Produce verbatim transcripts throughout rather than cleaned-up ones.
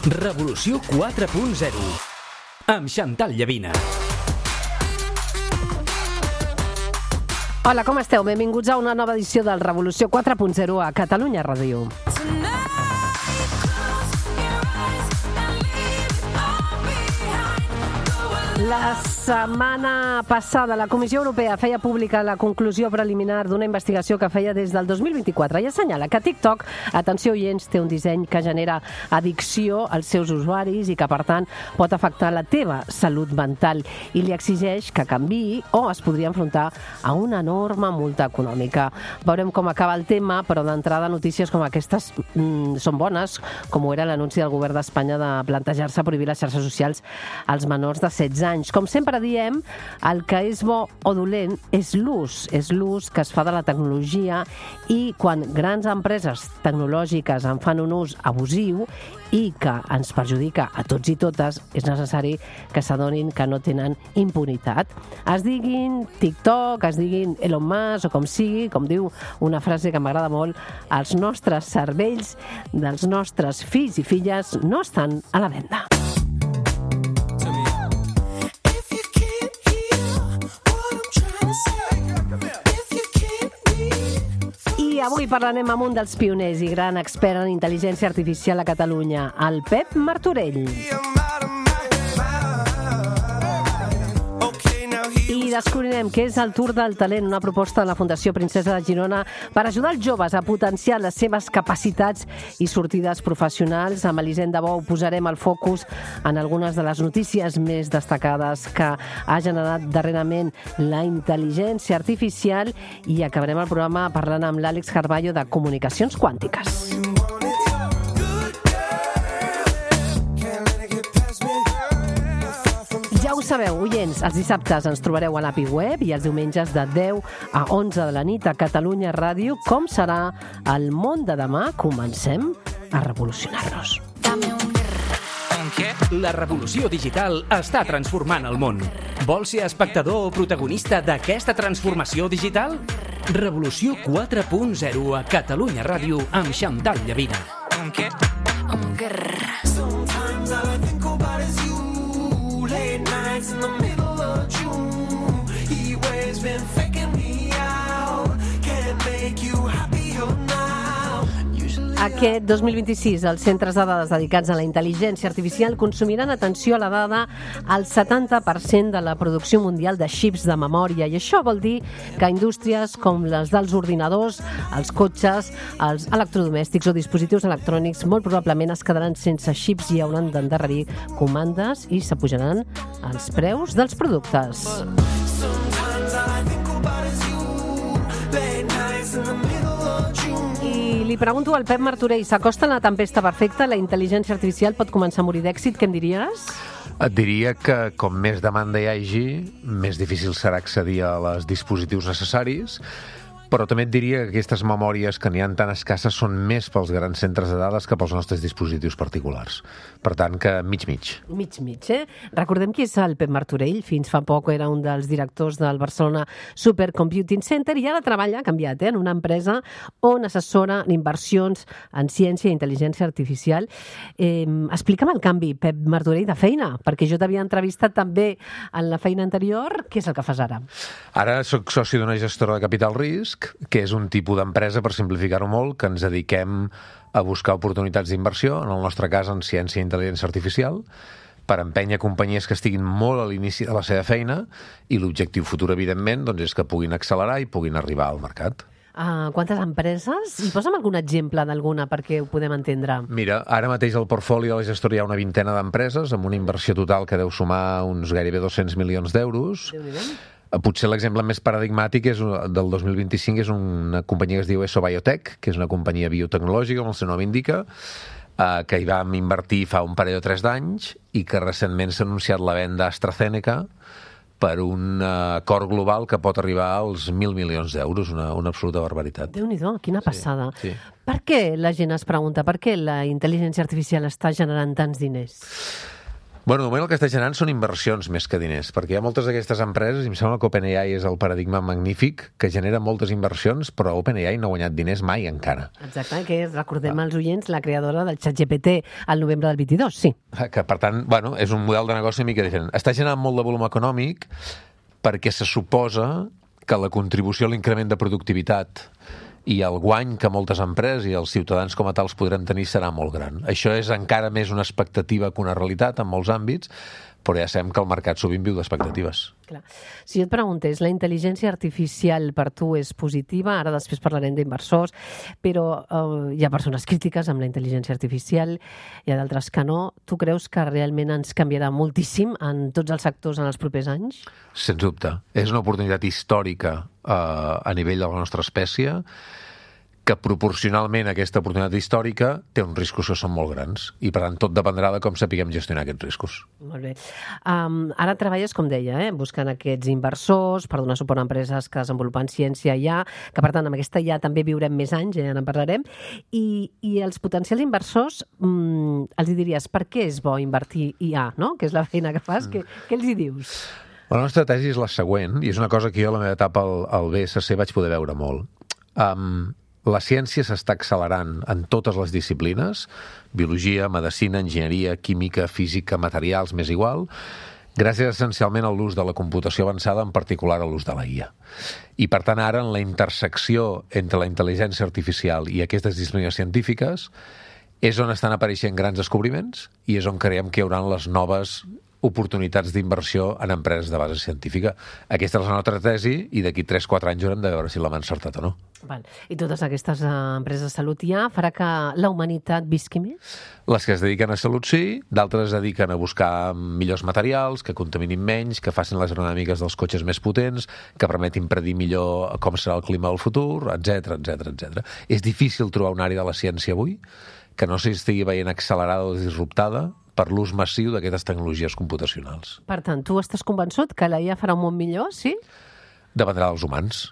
Revolució quatre punt zero amb Chantal Llavina. Hola, com esteu? Benvinguts a una nova edició del Revolució quatre punt zero a Catalunya Ràdio. La setmana passada la Comissió Europea feia pública la conclusió preliminar d'una investigació que feia des del dos mil vint-i-quatre i assenyala que TikTok, atenció oients, té un disseny que genera addicció als seus usuaris i que, per tant, pot afectar la teva salut mental i li exigeix que canviï o es podria enfrontar a una enorme multa econòmica. Veurem com acaba el tema, però d'entrada notícies com aquestes mm, són bones, com ho era l'anunci del govern d'Espanya de plantejar-se prohibir les xarxes socials als menors de setze anys. Com sempre diem, el que és bo o dolent és l'ús, és l'ús que es fa de la tecnologia i quan grans empreses tecnològiques en fan un ús abusiu i que ens perjudica a tots i totes, és necessari que s'adonin que no tenen impunitat. Es diguin TikTok, es diguin Elon Musk o com sigui, com diu una frase que m'agrada molt, els nostres cervells dels nostres fills i filles no estan a la venda. I avui parlarem amb un dels pioners i gran expert en intel·ligència artificial a Catalunya, el Pep Martorell. I descobrirem què és el Tour del Talent, una proposta de la Fundació Princesa de Girona per ajudar els joves a potenciar les seves capacitats i sortides professionals. Amb Elisenda Bou posarem el focus en algunes de les notícies més destacades que ha generat darrerament la intel·ligència artificial i acabarem el programa parlant amb l'Àlex Carballo de Comunicacions Quàntiques. Ja ho sabeu, oients, els dissabtes ens trobareu a l'A P I Web i els diumenges de deu a onze de la nit a Catalunya Ràdio. Com serà el món de demà? Comencem a revolucionar-nos. La revolució digital està transformant el món. Vols ser espectador o protagonista d'aquesta transformació digital? Revolució quatre punt zero a Catalunya Ràdio amb Chantal Llavina. In the middle of June, he waves been faking me out. Can't make you happier now. Aquest dos mil vint-i-sis, els centres de dades dedicats a la intel·ligència artificial consumiran, atenció a la dada, el setanta per cent de la producció mundial de xips de memòria. I això vol dir que indústries com les dels ordinadors, els cotxes, els electrodomèstics o dispositius electrònics molt probablement es quedaran sense xips i hauran d'endarrerir comandes i s'apujaran els preus dels productes. I li pregunto al Pep Martorell, s'acosta la tempesta perfecta? La intel·ligència artificial pot començar a morir d'èxit? Què em diries? Et diria que com més demanda hi hagi, més difícil serà accedir a els dispositius necessaris, però també et diria que aquestes memòries que n'hi ha tan escasses són més pels grans centres de dades que pels nostres dispositius particulars. Per tant, que mig-mig. Mig-mig, eh? Recordem qui és el Pep Martorell. Fins fa poc era un dels directors del Barcelona Supercomputing Center i ara treballa, ha canviat, eh? en una empresa on assessora inversions en ciència i intel·ligència artificial. Eh, explica'm el canvi, Pep Martorell, de feina, perquè jo t'havia entrevistat també en la feina anterior. Què és el que fas ara? Ara soc soci d'una gestora de capital risc, que és un tipus d'empresa, per simplificar-ho molt, que ens dediquem a buscar oportunitats d'inversió, en el nostre cas en ciència i intel·ligència artificial, per empènyer companyies que estiguin molt a l'inici de la seva feina i l'objectiu futur, evidentment, doncs, és que puguin accelerar i puguin arribar al mercat. Uh, quantes empreses? I posa'm algun exemple d'alguna perquè ho podem entendre. Mira, ara mateix al portfoli de la gestora hi ha una vintena d'empreses amb una inversió total que deu sumar uns gairebé dos-cents milions d'euros. Déu-n'hi-do. Potser l'exemple més paradigmàtic és del dos mil vint-i-cinc és una companyia que es diu ESO Biotech, que és una companyia biotecnològica, com el seu nom indica, eh, que hi vam invertir fa un parell o tres d'anys i que recentment s'ha anunciat la venda a AstraZeneca per un acord global que pot arribar als mil milions d'euros, una, una absoluta barbaritat. Déu-n'hi-do, quina passada. Sí, sí. Per què la gent es pregunta, per què la intel·ligència artificial està generant tants diners? Bueno, de moment el que està generant són inversions més que diners, perquè hi ha moltes d'aquestes empreses, i em sembla que OpenAI és el paradigma magnífic, que genera moltes inversions, però OpenAI no ha guanyat diners mai encara. Exacte, que és, recordem als oients, la creadora del ChatGPT al novembre del vint-i-dos, sí. Que, per tant, bueno, és un model de negoci una mica diferent. Està generant molt de volum econòmic perquè se suposa que la contribució a l'increment de productivitat i el guany que moltes empreses i els ciutadans com a tals podrem tenir serà molt gran. Això és encara més una expectativa que una realitat en molts àmbits, però ja sabem que el mercat sovint viu d'expectatives. Clar. Si jo et preguntés, la intel·ligència artificial per tu és positiva? Ara després parlarem d'inversors, però eh, hi ha persones crítiques amb la intel·ligència artificial, hi ha d'altres que no. Tu creus que realment ens canviarà moltíssim en tots els sectors en els propers anys? Sens dubte. És una oportunitat històrica eh, a nivell de la nostra espècie, que proporcionalment a aquesta oportunitat històrica té uns riscos que són molt grans i, per tant, tot dependrà de com sapiguem gestionar aquests riscos. Molt bé. Um, ara treballes, com deia, eh, buscant aquests inversors per donar suport a empreses que desenvolupen ciència I A, que, per tant, amb aquesta I A també viurem més anys, ja en parlarem, i, i els potencials inversors um, els diries, per què és bo invertir I A, no? Que és la feina que fas, mm. què, què els hi dius? La nostra tesi és la següent, i és una cosa que jo a la meva etapa al, al B S C vaig poder veure molt. Um, La ciència s'està accelerant en totes les disciplines, biologia, medicina, enginyeria, química, física, materials, més igual, gràcies essencialment a l'ús de la computació avançada, en particular a l'ús de la I A. I, per tant, ara, en la intersecció entre la intel·ligència artificial i aquestes disciplines científiques, és on estan apareixent grans descobriments i és on creiem que hi haurà les noves oportunitats d'inversió en empreses de base científica. Aquesta és la nostra tesi i d'aquí tres quatre anys haurem de veure si l'hem encertat o no. Val. I totes aquestes uh, empreses de salut I A farà que la humanitat visqui més? Les que es dediquen a salut sí, d'altres es dediquen a buscar millors materials, que contaminin menys, que facin les aerodinàmiques dels cotxes més potents, que permetin predir millor com serà el clima del futur, etcètera, etcètera, etcètera. És difícil trobar una àrea de la ciència avui que no s'estigui veient accelerada o disruptada per l'ús massiu d'aquestes tecnologies computacionals. Per tant, tu estàs convençut que la I A farà un món millor, sí? Dependrà dels humans.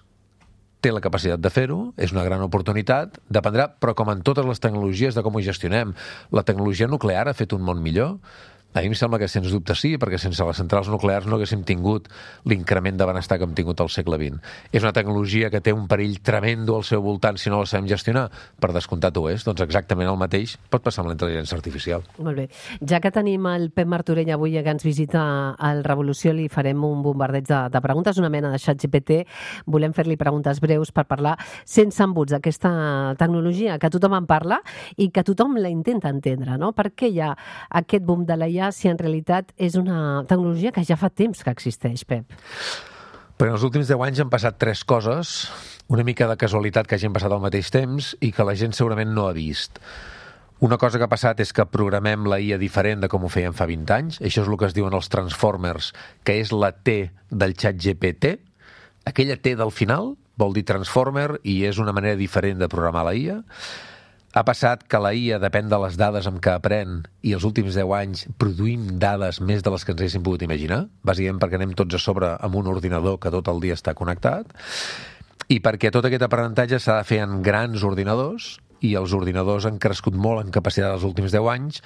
Té la capacitat de fer-ho, és una gran oportunitat, dependrà, però com en totes les tecnologies, de com ho gestionem. La tecnologia nuclear ha fet un món millor? A mi em sembla que sens dubte sí, perquè sense les centrals nuclears no haguéssim tingut l'increment de benestar que hem tingut al segle vint. És una tecnologia que té un perill tremendo al seu voltant si no la sabem gestionar? Per descomptat ho és. Doncs exactament el mateix pot passar amb la intel·ligència artificial. Molt bé. Ja que tenim el Pep Martorell avui que ens visita al Revolució, li farem un bombardeig de, de preguntes, una mena de ChatGPT. Volem fer-li preguntes breus per parlar sense embuts d'aquesta tecnologia que tothom en parla i que tothom la intenta entendre, no? Per què hi ha aquest boom de la I A si en realitat és una tecnologia que ja fa temps que existeix, Pep? Però en els últims deu anys han passat tres coses, una mica de casualitat que hagin passat al mateix temps i que la gent segurament no ha vist. Una cosa que ha passat és que programem la I A diferent de com ho fèiem fa vint anys. Això és el que es diuen els Transformers, que és la T del ChatGPT. Aquella T del final vol dir Transformer i és una manera diferent de programar la I A. Ha passat que la I A depèn de les dades amb què aprèn i els últims deu anys produïm dades més de les que ens haguéssim pogut imaginar, bàsicament perquè anem tots a sobre amb un ordinador que tot el dia està connectat i perquè tot aquest aprenentatge s'ha de fer en grans ordinadors i els ordinadors han crescut molt en capacitat els últims deu anys,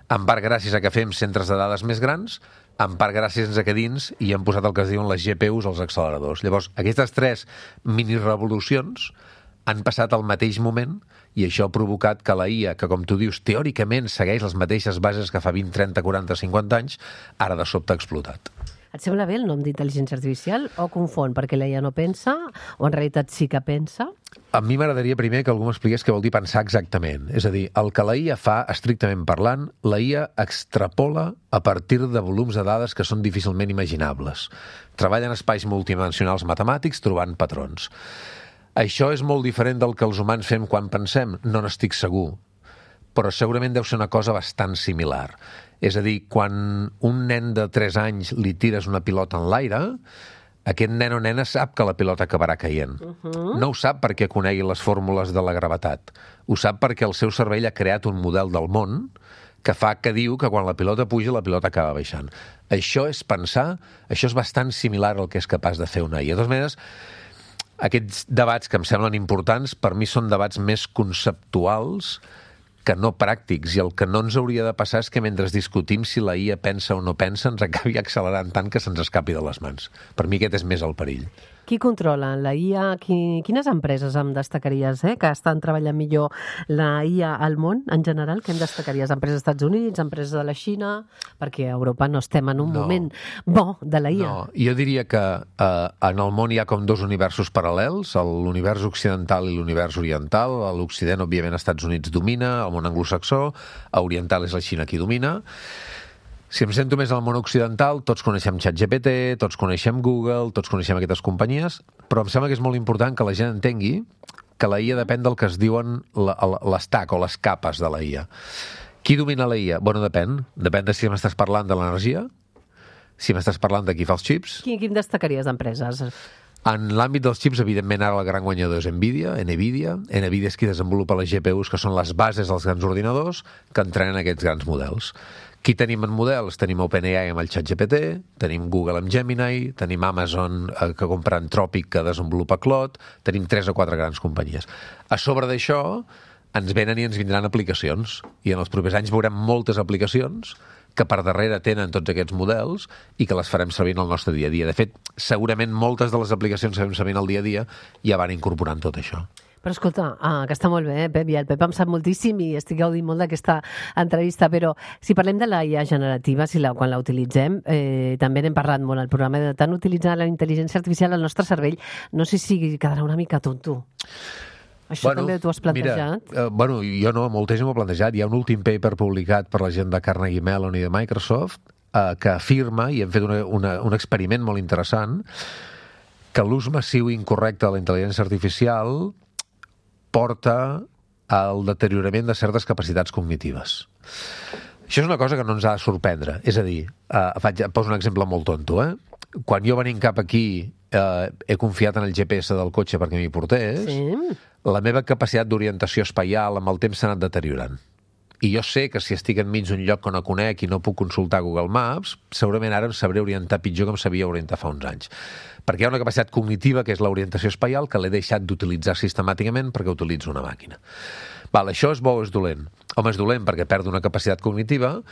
en part gràcies a que fem centres de dades més grans, en part gràcies a que dins hi han posat el que es diuen les G P Us als acceleradors. Llavors, aquestes tres mini-revolucions han passat al mateix moment i això ha provocat que la I A, que com tu dius, teòricament segueix les mateixes bases que fa vint, trenta, quaranta, cinquanta anys, ara de sobte ha explotat. Et sembla bé el nom d'intel·ligència artificial o confon perquè la I A no pensa o en realitat sí que pensa? A mi m'agradaria primer que algú m'expliqués què vol dir pensar exactament. És a dir, el que la I A fa, estrictament parlant, la I A extrapola a partir de volums de dades que són difícilment imaginables. Treballa en espais multidimensionals matemàtics trobant patrons. Això és molt diferent del que els humans fem quan pensem, no n'estic segur, però segurament deu ser una cosa bastant similar. És a dir, quan un nen de tres anys li tires una pilota en l'aire, aquest nen o nena sap que la pilota acabarà caient. Uh-huh. No ho sap perquè conegui les fórmules de la gravetat. Ho sap perquè el seu cervell ha creat un model del món que fa que diu que quan la pilota puja, la pilota acaba baixant. Això és pensar, això és bastant similar al que és capaç de fer una I A. De totes maneres, aquests debats que em semblen importants, per mi són debats més conceptuals que no pràctics, i el que no ens hauria de passar és que mentre discutim si la I A pensa o no pensa ens acabi accelerant tant que se'ns escapi de les mans. Per mi aquest és més el perill. Qui controla la I A? Qui, quines empreses em destacaries eh, que estan treballant millor la I A al món en general? Què em destacaries? Empreses dels Estats Units, empreses de la Xina? Perquè a Europa no estem en un No. moment bo de la I A. No, jo diria que eh, en el món hi ha com dos universos paral·lels, l'univers occidental i l'univers oriental. A l'Occident, òbviament, els Estats Units domina, el món anglosaxó, a oriental és la Xina qui domina. Si em sento més al món occidental, tots coneixem ChatGPT, tots coneixem Google, tots coneixem aquestes companyies, però em sembla que és molt important que la gent entengui que la I A depèn del que es diuen l'estack o les capes de la I A. Qui domina la I A? Bueno, depèn. Depèn de si m'estàs parlant de l'energia, si m'estàs parlant de qui fa els xips. Qui, qui em destacaries d'empreses? En l'àmbit dels xips, evidentment, ara el gran guanyador és NVIDIA, NVIDIA. NVIDIA és qui desenvolupa les G P Us, que són les bases dels grans ordinadors que entrenen aquests grans models. Qui tenim en models? Tenim OpenAI amb el ChatGPT, tenim Google amb Gemini, tenim Amazon eh, que compra Anthropic, que desenvolupa Claude, tenim tres o quatre grans companyies. A sobre d'això, ens venen i ens vindran aplicacions, i en els propers anys veurem moltes aplicacions que per darrere tenen tots aquests models i que les farem servir en el nostre dia a dia. De fet, segurament moltes de les aplicacions que fem servir en el dia a dia ja van incorporant tot això. Però escolta, ah, que està molt bé, eh, Pep, i el Pep em sap moltíssim i estic gaudint molt d'aquesta entrevista, però si parlem de la I A generativa, si la, quan la utilitzem, eh, també n'hem parlat molt al programa, de tant utilitzar la intel·ligència artificial al nostre cervell, no sé si quedarà una mica tonto. Això bueno, també t'ho has plantejat? Mira, eh, bueno, jo no, molta gent m'ho ha plantejat. Hi ha un últim paper publicat per la gent de Carnegie Mellon i de Microsoft eh, que afirma, i hem fet una, una, un experiment molt interessant, que l'ús massiu i incorrecte de la intel·ligència artificial porta al deteriorament de certes capacitats cognitives. Això és una cosa que no ens ha de sorprendre. És a dir, eh, faig, poso un exemple molt tonto, eh? Quan jo venint cap aquí eh, he confiat en el G P S del cotxe perquè m'hi portés, Sí. la meva capacitat d'orientació espaial amb el temps s'ha anat deteriorant. I jo sé que si estic enmig d'un lloc que no conec i no puc consultar Google Maps, segurament ara em sabré orientar pitjor que em sabia orientar fa uns anys. Perquè hi ha una capacitat cognitiva, que és l'orientació espaial, que l'he deixat d'utilitzar sistemàticament perquè utilitzo una màquina. Val, això és bo o és dolent? Home, és dolent perquè perdo una capacitat cognitiva,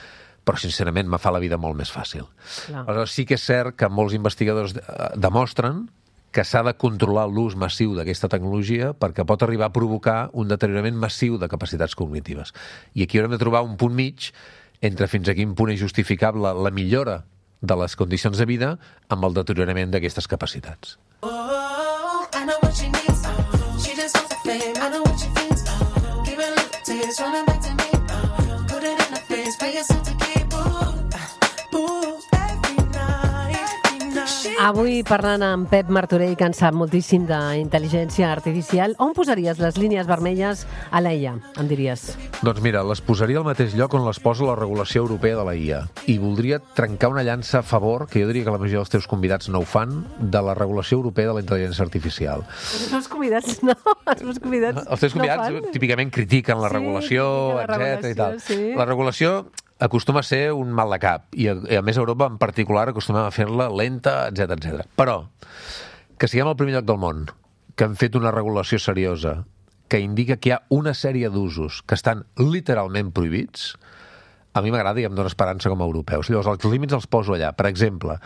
però sincerament me fa la vida molt més fàcil. Clar. Aleshores, sí que és cert que molts investigadors eh, demostren que s'ha de controlar l'ús massiu d'aquesta tecnologia perquè pot arribar a provocar un deteriorament massiu de capacitats cognitives. I aquí haurem de trobar un punt mig entre fins a quin punt és justificable la millora de les condicions de vida amb el deteriorament d'aquestes capacitats. Oh, I know what she needs. She just wants the fame. I know what she thinks. Give her little tears, running back to me. Put it in her face, pay yourself to keep. Ooh, ooh, every night, every night. Avui parlant amb Pep Martorell, que en sap moltíssim d'intel·ligència artificial, on posaries les línies vermelles a la I A, em diries? Doncs mira, les posaria al mateix lloc on les posa la regulació europea de la I A. I voldria trencar una llança a favor, que jo diria que la majoria dels teus convidats no ho fan, de la regulació europea de la intel·ligència artificial. Els meus convidats no, els meus convidats Els teus convidats no fan. típicament critiquen la Sí, regulació, critiquen la etcètera i tal. regulació, sí. La regulació acostuma a ser un mal de cap, i a, i a més a Europa en particular acostumem a fer-la lenta, etcètera, etcètera. Però que siguem al primer lloc del món, que hem fet una regulació seriosa, que indica que hi ha una sèrie d'usos que estan literalment prohibits, a mi m'agrada i em dóna esperança com a europeus. Llavors, els límits els poso allà. Per exemple,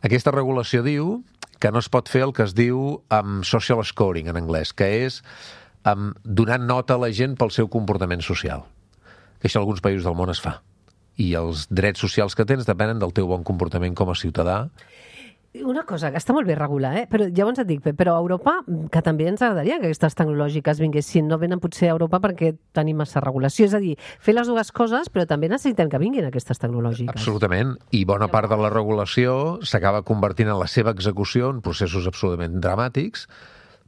aquesta regulació diu que no es pot fer el que es diu um, social scoring en anglès, que és um, donar nota a la gent pel seu comportament social. Que això en alguns països del món es fa. I els drets socials que tens depenen del teu bon comportament com a ciutadà. Una cosa, que està molt bé regular, eh? Però llavors et dic, Pep, però a Europa, que també ens agradaria que aquestes tecnològiques vinguessin, no venen potser a Europa perquè tenim massa regulació. És a dir, fer les dues coses, però també necessitem que vinguin aquestes tecnològiques. Absolutament. I bona part de la regulació s'acaba convertint en la seva execució en processos absolutament dramàtics,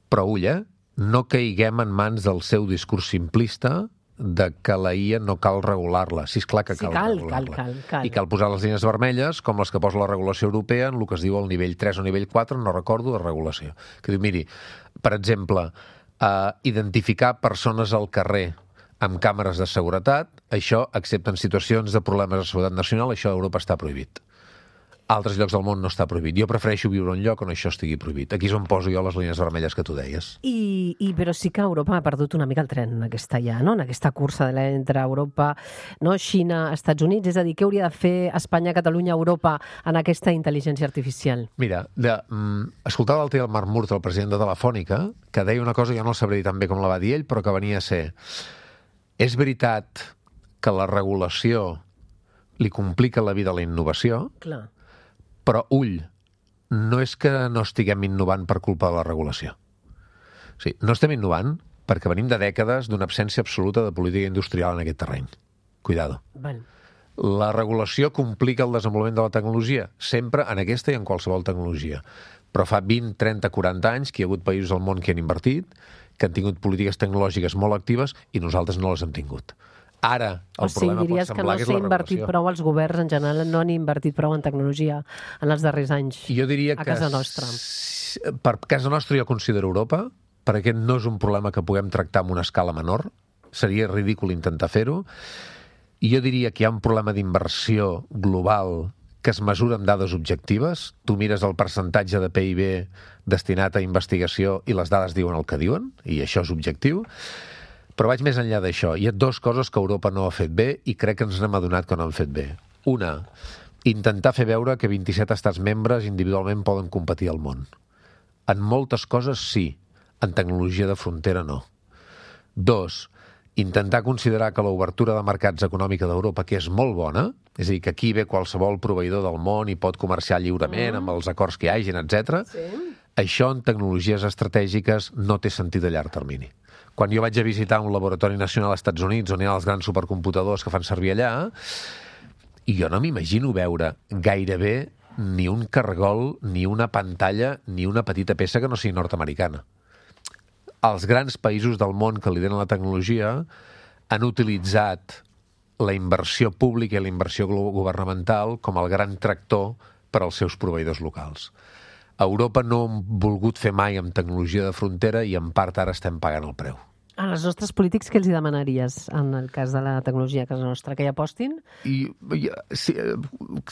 però ull, eh? No caiguem en mans del seu discurs simplista de que la I A no cal regular-la. Sí, és clar que Sí, cal, cal, regular-la. cal, cal, cal. I cal posar les línies vermelles, com les que posa la regulació europea en el que es diu el nivell tres o nivell quatre, no recordo, de regulació. Que diu, miri, per exemple, eh, identificar persones al carrer amb càmeres de seguretat, això, excepte en situacions de problemes de seguretat nacional, això a Europa està prohibit. altres llocs del món no està prohibit. Jo prefereixo viure en un lloc on això estigui prohibit. Aquí és on poso jo les línies vermelles que tu deies. I, i però sí que Europa ha perdut una mica el tren en aquesta, ja, no? en aquesta cursa de entre Europa, no? Xina, Estats Units. És a dir, què hauria de fer Espanya, Catalunya, Europa en aquesta intel·ligència artificial? Mira, de, mm, escoltava l'altre dia el Marc Murt, el president de Telefònica, que deia una cosa, jo no el sabré dir tan bé com la va dir ell, però que venia a ser: és veritat que la regulació li complica la vida a la innovació, Clar. però, ull, no és que no estiguem innovant per culpa de la regulació. O sigui, no estem innovant perquè venim de dècades d'una absència absoluta de política industrial en aquest terreny. Cuidado. Val. La regulació complica el desenvolupament de la tecnologia, sempre en aquesta i en qualsevol tecnologia. Però fa vint, trenta, quaranta anys que hi ha hagut països al món que han invertit, que han tingut polítiques tecnològiques molt actives i nosaltres no les hem tingut. Ara, el o sigui, problema pot diries que semblar no que és s'ha la invertit regulació. prou, els governs en general no han invertit prou en tecnologia en els darrers anys Jo diria a que casa nostra. s- per casa nostra jo considero Europa, perquè aquest no és un problema que puguem tractar amb una escala menor, seria ridícul intentar fer-ho, i jo diria que hi ha un problema d'inversió global que es mesura amb dades objectives. Tu mires el percentatge de P I B destinat a investigació i les dades diuen el que diuen, i això és objectiu. Però vaig més enllà d'això. Hi ha dues coses que Europa no ha fet bé i crec que ens n'hem adonat que no han fet bé. Una, intentar fer veure que vint-i-set estats membres individualment poden competir al món. En moltes coses sí, en tecnologia de frontera no. Dos, intentar considerar que l'obertura de mercats econòmica d'Europa, que és molt bona, és a dir, que aquí ve qualsevol proveïdor del món i pot comerciar lliurement mm. amb els acords que hi hagin, etcètera. Sí. Això en tecnologies estratègiques no té sentit a llarg termini. Quan jo vaig a visitar un laboratori nacional als Estats Units, on hi ha els grans supercomputadors que fan servir allà, i jo no m'imagino veure gairebé ni un cargol, ni una pantalla, ni una petita peça que no sigui nord-americana. Els grans països del món que lideren la tecnologia han utilitzat la inversió pública i la inversió governamental com el gran tractor per als seus proveïdors locals. A Europa no hem volgut fer mai amb tecnologia de frontera i en part ara estem pagant el preu. A els nostres polítics, què els hi demanaries en el cas de la tecnologia a casa nostra? Que hi apostin? I, i si,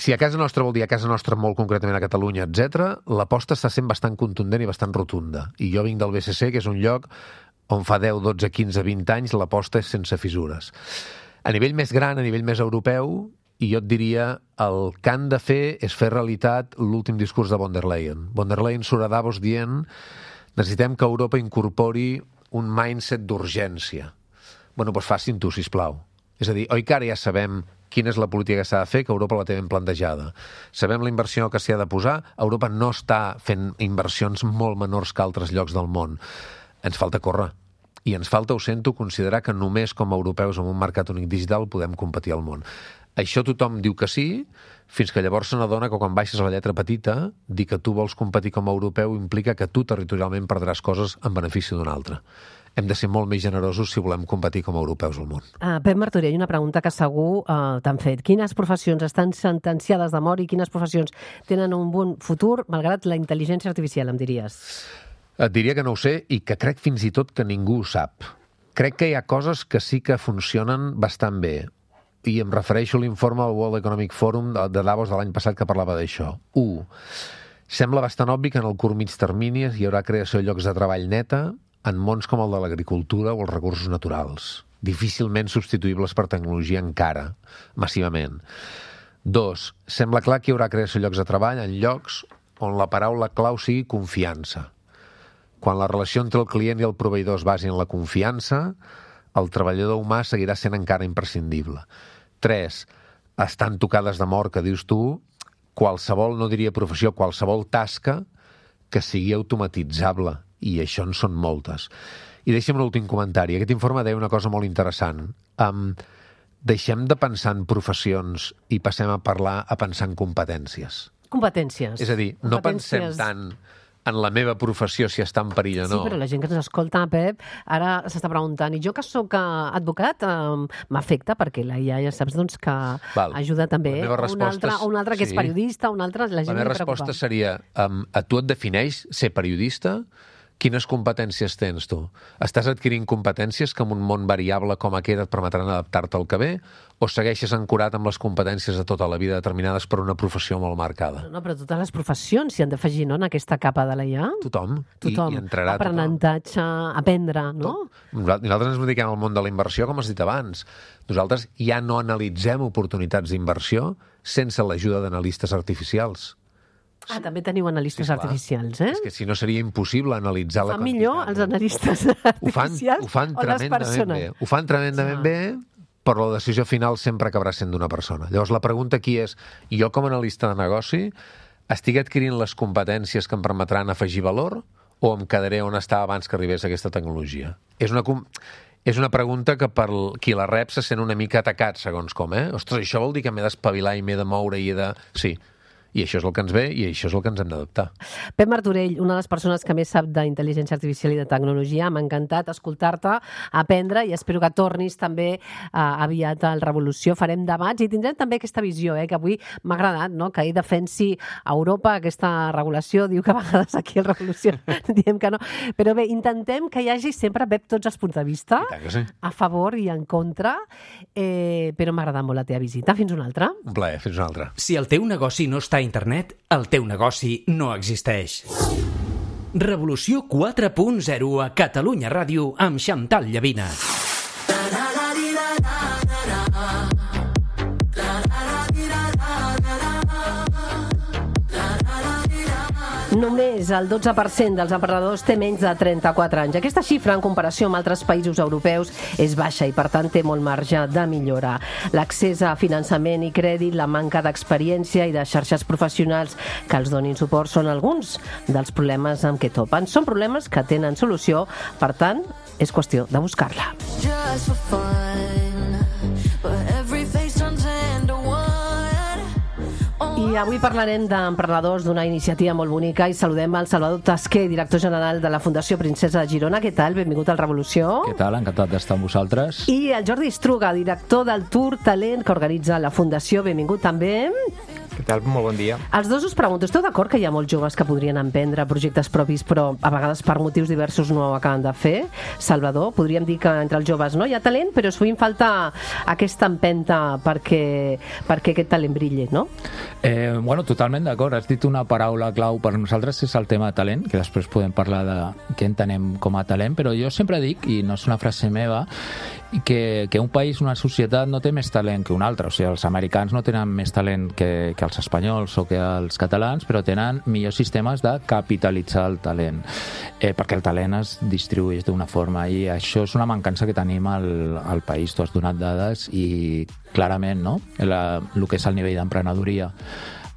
si a casa nostra vol dir a casa nostra molt concretament a Catalunya, etcètera, l'aposta està sent bastant contundent i bastant rotunda. I jo vinc del B C C, que és un lloc on fa deu, dotze, quinze, vint anys l'aposta és sense fissures. A nivell més gran, a nivell més europeu, i jo et diria, el que han de fer és fer realitat l'últim discurs de von der Leyen. Von der Leyen surt a Davos dient necessitem que Europa incorpori un mindset d'urgència. Bueno, doncs facin tu, sisplau. És a dir, oi que ara ja sabem quina és la política que s'ha de fer, que Europa la té ben plantejada. Sabem la inversió que s'hi ha de posar. Europa no està fent inversions molt menors que altres llocs del món. Ens falta córrer. I ens falta, ho sento, considerar que només com a europeus en un mercat únic digital podem competir al món. Això tothom diu que sí, fins que llavors se n'adona que quan baixes a la lletra petita, dir que tu vols competir com a europeu implica que tu territorialment perdràs coses en benefici d'un altre. Hem de ser molt més generosos si volem competir com a europeus al món. Uh, Pep Martorell, una pregunta que segur uh, t'han fet. Quines professions estan sentenciades de mort i quines professions tenen un bon futur, malgrat la intel·ligència artificial, em diries? Et diria que no ho sé i que crec fins i tot que ningú ho sap. Crec que hi ha coses que sí que funcionen bastant bé. I em refereixo a l'informe del World Economic Forum de Davos de l'any passat que parlava d'això. U. Sembla bastant obvi que en el curt mig termini hi haurà creació de llocs de treball neta en mons com el de l'agricultura o els recursos naturals, difícilment substituïbles per tecnologia encara, massivament. Dos. Sembla clar que hi haurà creació de llocs de treball en llocs on la paraula clau sigui confiança. Quan la relació entre el client i el proveïdor es basi en la confiança, el treballador humà seguirà sent encara imprescindible. Tres, estan tocades de mort, que dius tu, qualsevol, no diria professió, qualsevol tasca que sigui automatitzable, i això en són moltes. I deixa'm un últim comentari. Aquest informe deia una cosa molt interessant. Um, deixem de pensar en professions i passem a parlar a pensar en competències. Competències. És a dir, no pensem tant en la meva professió si està en perill o no. Sí, però la gent que ens escolta, Pep, ara s'està preguntant, i jo que sóc advocat, eh, m'afecta, perquè la I A ja saps doncs, que Val. ajuda també un altre, un altre que sí. és periodista, un altre, la gent la meva resposta seria, um, a tu et defineix ser periodista? quines competències tens tu? Estàs adquirint competències que en un món variable com aquest et permetran adaptar-te al que ve, o segueixes ancorat amb les competències de tota la vida determinades per una professió molt marcada? No, però totes les professions s'hi han d'afegir, no?, en aquesta capa de la I A. Tothom. Tothom. I, i entrarà aprenentatge, tothom. Aprendre, no? Nosaltres ens dediquem al món de la inversió, com has dit abans. Nosaltres ja no analitzem oportunitats d'inversió sense l'ajuda d'analistes artificials. Ah, també teniu analistes Sí, artificials, eh? És que si no seria impossible analitzar Ho la fan millor els analistes Ho fan, artificials ho fan o les tremendament persones? bé. Ho fan tremendament Ja. bé, però la decisió final sempre acabarà sent d'una persona. Llavors, la pregunta aquí és, jo com a analista de negoci estic adquirint les competències que em permetran afegir valor o em quedaré on estava abans que arribés aquesta tecnologia? És una, com- és una pregunta que per qui la rep se sent una mica atacat, segons com, eh? Ostres, això vol dir que m'he d'espavilar i m'he de moure i he de... Sí, i això és el que ens ve i això és el que ens hem d'adaptar. Pep Martorell, una de les persones que més sap d'intel·ligència artificial i de tecnologia, m'ha encantat escoltar-te, aprendre, i espero que tornis també uh, aviat al Revolució. Farem debats i tindrem també aquesta visió, eh, que avui m'ha agradat, no?, que ell defensi a Europa aquesta regulació. Diu que a vegades aquí al Revolució diem que no. Però bé, intentem que hi hagi sempre, Pep, tots els punts de vista, I tant que sí. a favor i en contra, eh, però m'ha agradat molt la teva visita. Fins una altra. Un plaer, fins una altra. Si el teu negoci no està a internet, el teu negoci no existeix. Revolució quatre punt zero a Catalunya Ràdio amb Xantal Llavina. Només el dotze per cent dels emprenedors té menys de trenta-quatre anys. Aquesta xifra, en comparació amb altres països europeus, és baixa i, per tant, té molt marge de millora. L'accés a finançament i crèdit, la manca d'experiència i de xarxes professionals que els donin suport són alguns dels problemes amb què topen. Són problemes que tenen solució, per tant, és qüestió de buscar-la. Just for fun, but every face turns into one. I avui parlarem d'emprenedors d'una iniciativa molt bonica i saludem al Salvador Tasquer, director general de la Fundació Princesa de Girona. Què tal? Benvingut al Revolució. Què tal? Encantat d'estar amb vosaltres. I el Jordi Estruga, director del Tour Talent que organitza la Fundació. Benvingut també. Què tal? Molt bon dia. Els dos us pregunto, esteu d'acord que hi ha molts joves que podrien emprendre projectes propis però a vegades per motius diversos no ho acaben de fer? Salvador, podríem dir que entre els joves no hi ha talent, però sovint falta aquesta empenta perquè, perquè aquest talent brilli, no? Eh, bueno, totalment d'acord. Has dit una paraula clau per nosaltres, és el tema de talent, que després podem parlar de què entenem com a talent, però jo sempre dic, i no és una frase meva, que, que un país, una societat no té més talent que un altre. O sigui, els americans no tenen més talent que, que els espanyols o que els catalans, però tenen millors sistemes de capitalitzar el talent, eh, perquè el talent es distribueix d'una forma, i això és una mancança que tenim al, al país. Tu has donat dades i clarament, no?, la, el que és el nivell d'emprenedoria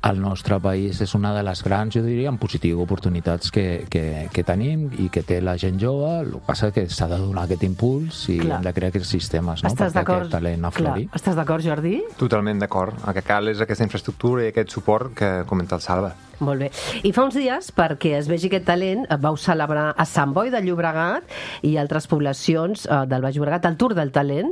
al nostre país és una de les grans, jo diria, en positiu, oportunitats que, que, que tenim i que té la gent jove. El que passa és que s'ha de donar aquest impuls i Clar. hem de crear aquests sistemes, no?, Estàs perquè d'acord? aquest talent aflori. Clar. Estàs d'acord, Jordi? Totalment d'acord. El que cal és aquesta infraestructura i aquest suport que comenta el Salva. Molt bé. I fa uns dies, perquè es vegi aquest talent, vau celebrar a Sant Boi de Llobregat i altres poblacions eh, del Baix Llobregat el Tour del Talent,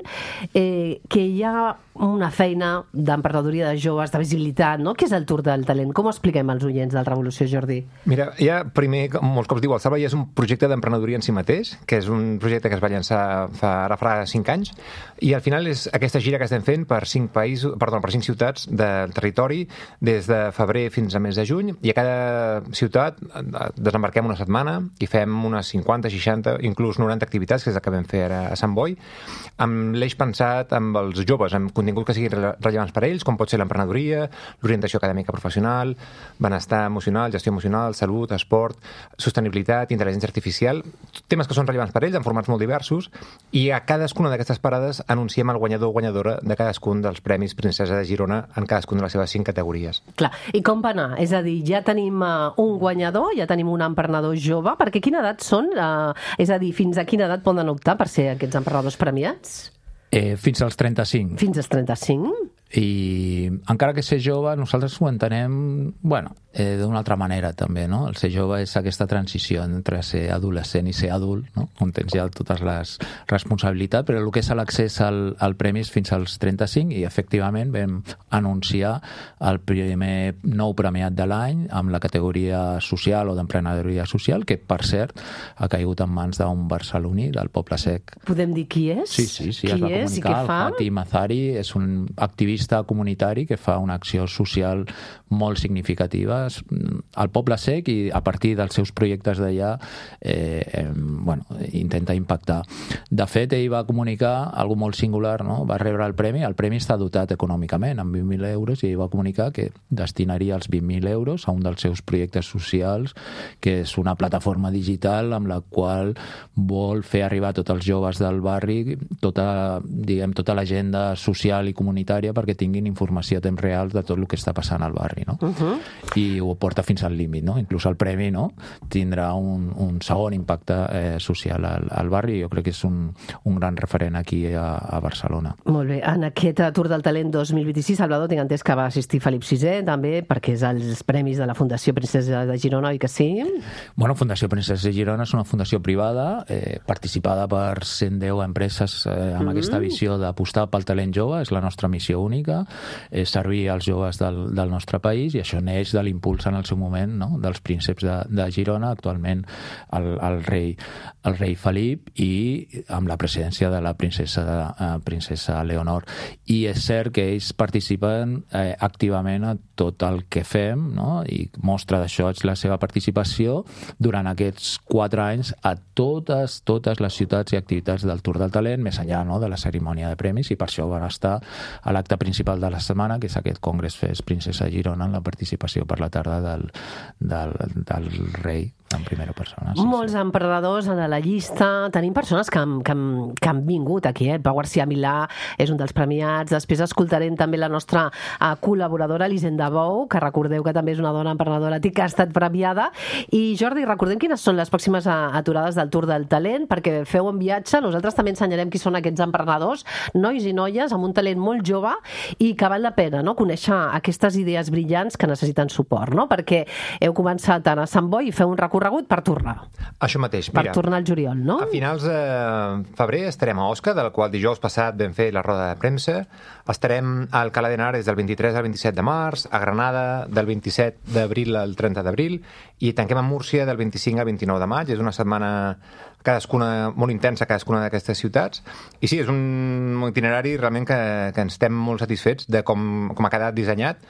eh, que hi ha una feina d'emprenedoria de joves, de visibilitat, no? Què és el Tour del Talent? Com ho expliquem als oients del Revolució, Jordi? Mira, ja primer, com molts cops diu el Salva, ja és un projecte d'emprenedoria en si mateix, que és un projecte que es va llançar fa, ara fa cinc anys, i al final és aquesta gira que estem fent per cinc països, perdó, per cinc ciutats del territori, des de febrer fins a mes de juny, i a cada ciutat desembarquem una setmana i fem unes cinquanta, seixanta, inclús noranta activitats, que és el que vam fer ara a Sant Boi, amb l'eix pensat amb els joves, amb continguts que siguin rellevants per a ells, com pot ser l'emprenedoria, l'orientació acadèmica professional, benestar emocional, gestió emocional, salut, esport, sostenibilitat, intel·ligència artificial, temes que són rellevants per a ells en formats molt diversos, i a cadascuna d'aquestes parades anunciem el guanyador o guanyadora de cadascun dels Premis Princesa de Girona en cadascuna de les seves cinc categories. Clar, i com va anar? És a dir, ja tenim uh, un guanyador, ja tenim un emprenedor jove, perquè quina edat són? Uh, és a dir, fins a quina edat poden optar per ser aquests emprenedors premiats? Eh, fins als trenta-cinc. Fins als trenta-cinc? i encara que ser jove nosaltres ho entenem, bueno, eh, d'una altra manera també, no? El ser jove és aquesta transició entre ser adolescent i ser adult, no? On tens ja totes les responsabilitats, però el que és l'accés al, al premi és fins als trenta-cinc i efectivament vam anunciar el primer nou premiat de l'any amb la categoria social o d'emprenedoria social, que per cert ha caigut en mans d'un barceloní del Poble Sec. Podem dir qui és? Sí, sí, sí, qui es va és comunicar. I què fa? El Fatih Mazari és un activista comunitari que fa una acció social molt significativa al Poble Sec i a partir dels seus projectes d'allà eh, eh, bueno, intenta impactar. De fet, ell va comunicar algo molt singular, no? Va rebre el premi, el premi està dotat econòmicament amb vint mil euros i ell va comunicar que destinaria els vint mil euros a un dels seus projectes socials, que és una plataforma digital amb la qual vol fer arribar a tots els joves del barri tota, diguem, tota l'agenda social i comunitària perquè tinguin informació a temps real de tot el que està passant al barri, no? Uh-huh. I ho porta fins al límit, no? Inclús el premi, no? Tindrà un, un segon impacte eh, social al, al barri i jo crec que és un, un gran referent aquí a, a Barcelona. Molt bé. En aquest Tour del Talent dos mil vint-i-sis, Salvador, tinc entès que va assistir Felip sisè, també, perquè és els premis de la Fundació Princesa de Girona, oi que sí? Bueno, Fundació Princesa de Girona és una fundació privada eh, participada per cent deu empreses eh, amb mm. aquesta visió d'apostar pel talent jove, és la nostra missió única, és servir als joves del, del nostre país i això neix de l'impuls en el seu moment, no? Dels prínceps de, de Girona, actualment el, el, rei, el rei Felip i amb la presidència de la princesa, eh, princesa Leonor. I és cert que ells participen eh, activament a tot el que fem, no? I mostra d'això la seva participació durant aquests quatre anys a totes, totes les ciutats i activitats del Tour del Talent, més enllà, no? De la cerimònia de premis, i per això van estar a l'acte principal de la setmana, que és aquest Congrés Fest Princesa Girona, en la participació per la tarda del, del, del rei en primera persona. Sí, Molts sí. emprenedors en la llista. Tenim persones que han, que han, que han vingut aquí. Eh? Pau García Milà és un dels premiats. Després escoltarem també la nostra uh, col·laboradora, Elisenda Bou, que recordeu que també és una dona emprenedora que ha estat premiada. I Jordi, recordem quines són les pròximes aturades del Tour del Talent, perquè feu un viatge. Nosaltres també ensenyarem qui són aquests emprenedors, nois i noies amb un talent molt jove i que val la pena, no?, conèixer aquestes idees brillants que necessiten suport, no? Perquè heu començat a Sant Boi i feu un recorregut per tornar. Això mateix, mira. Per tornar al juliol, no? A finals de febrer estarem a Osca, del qual dijous passat vam fer la roda de premsa. Estarem al Alcalá de Henares del vint-i-tres al vint-i-set de març, a Granada del vint-i-set d'abril al trenta d'abril i tanquem a Múrcia del vint-i-cinc al vint-i-nou de maig. És una setmana cadascuna molt intensa, cadascuna d'aquestes ciutats. I sí, és un itinerari realment que, que ens estem molt satisfets de com, com ha quedat dissenyat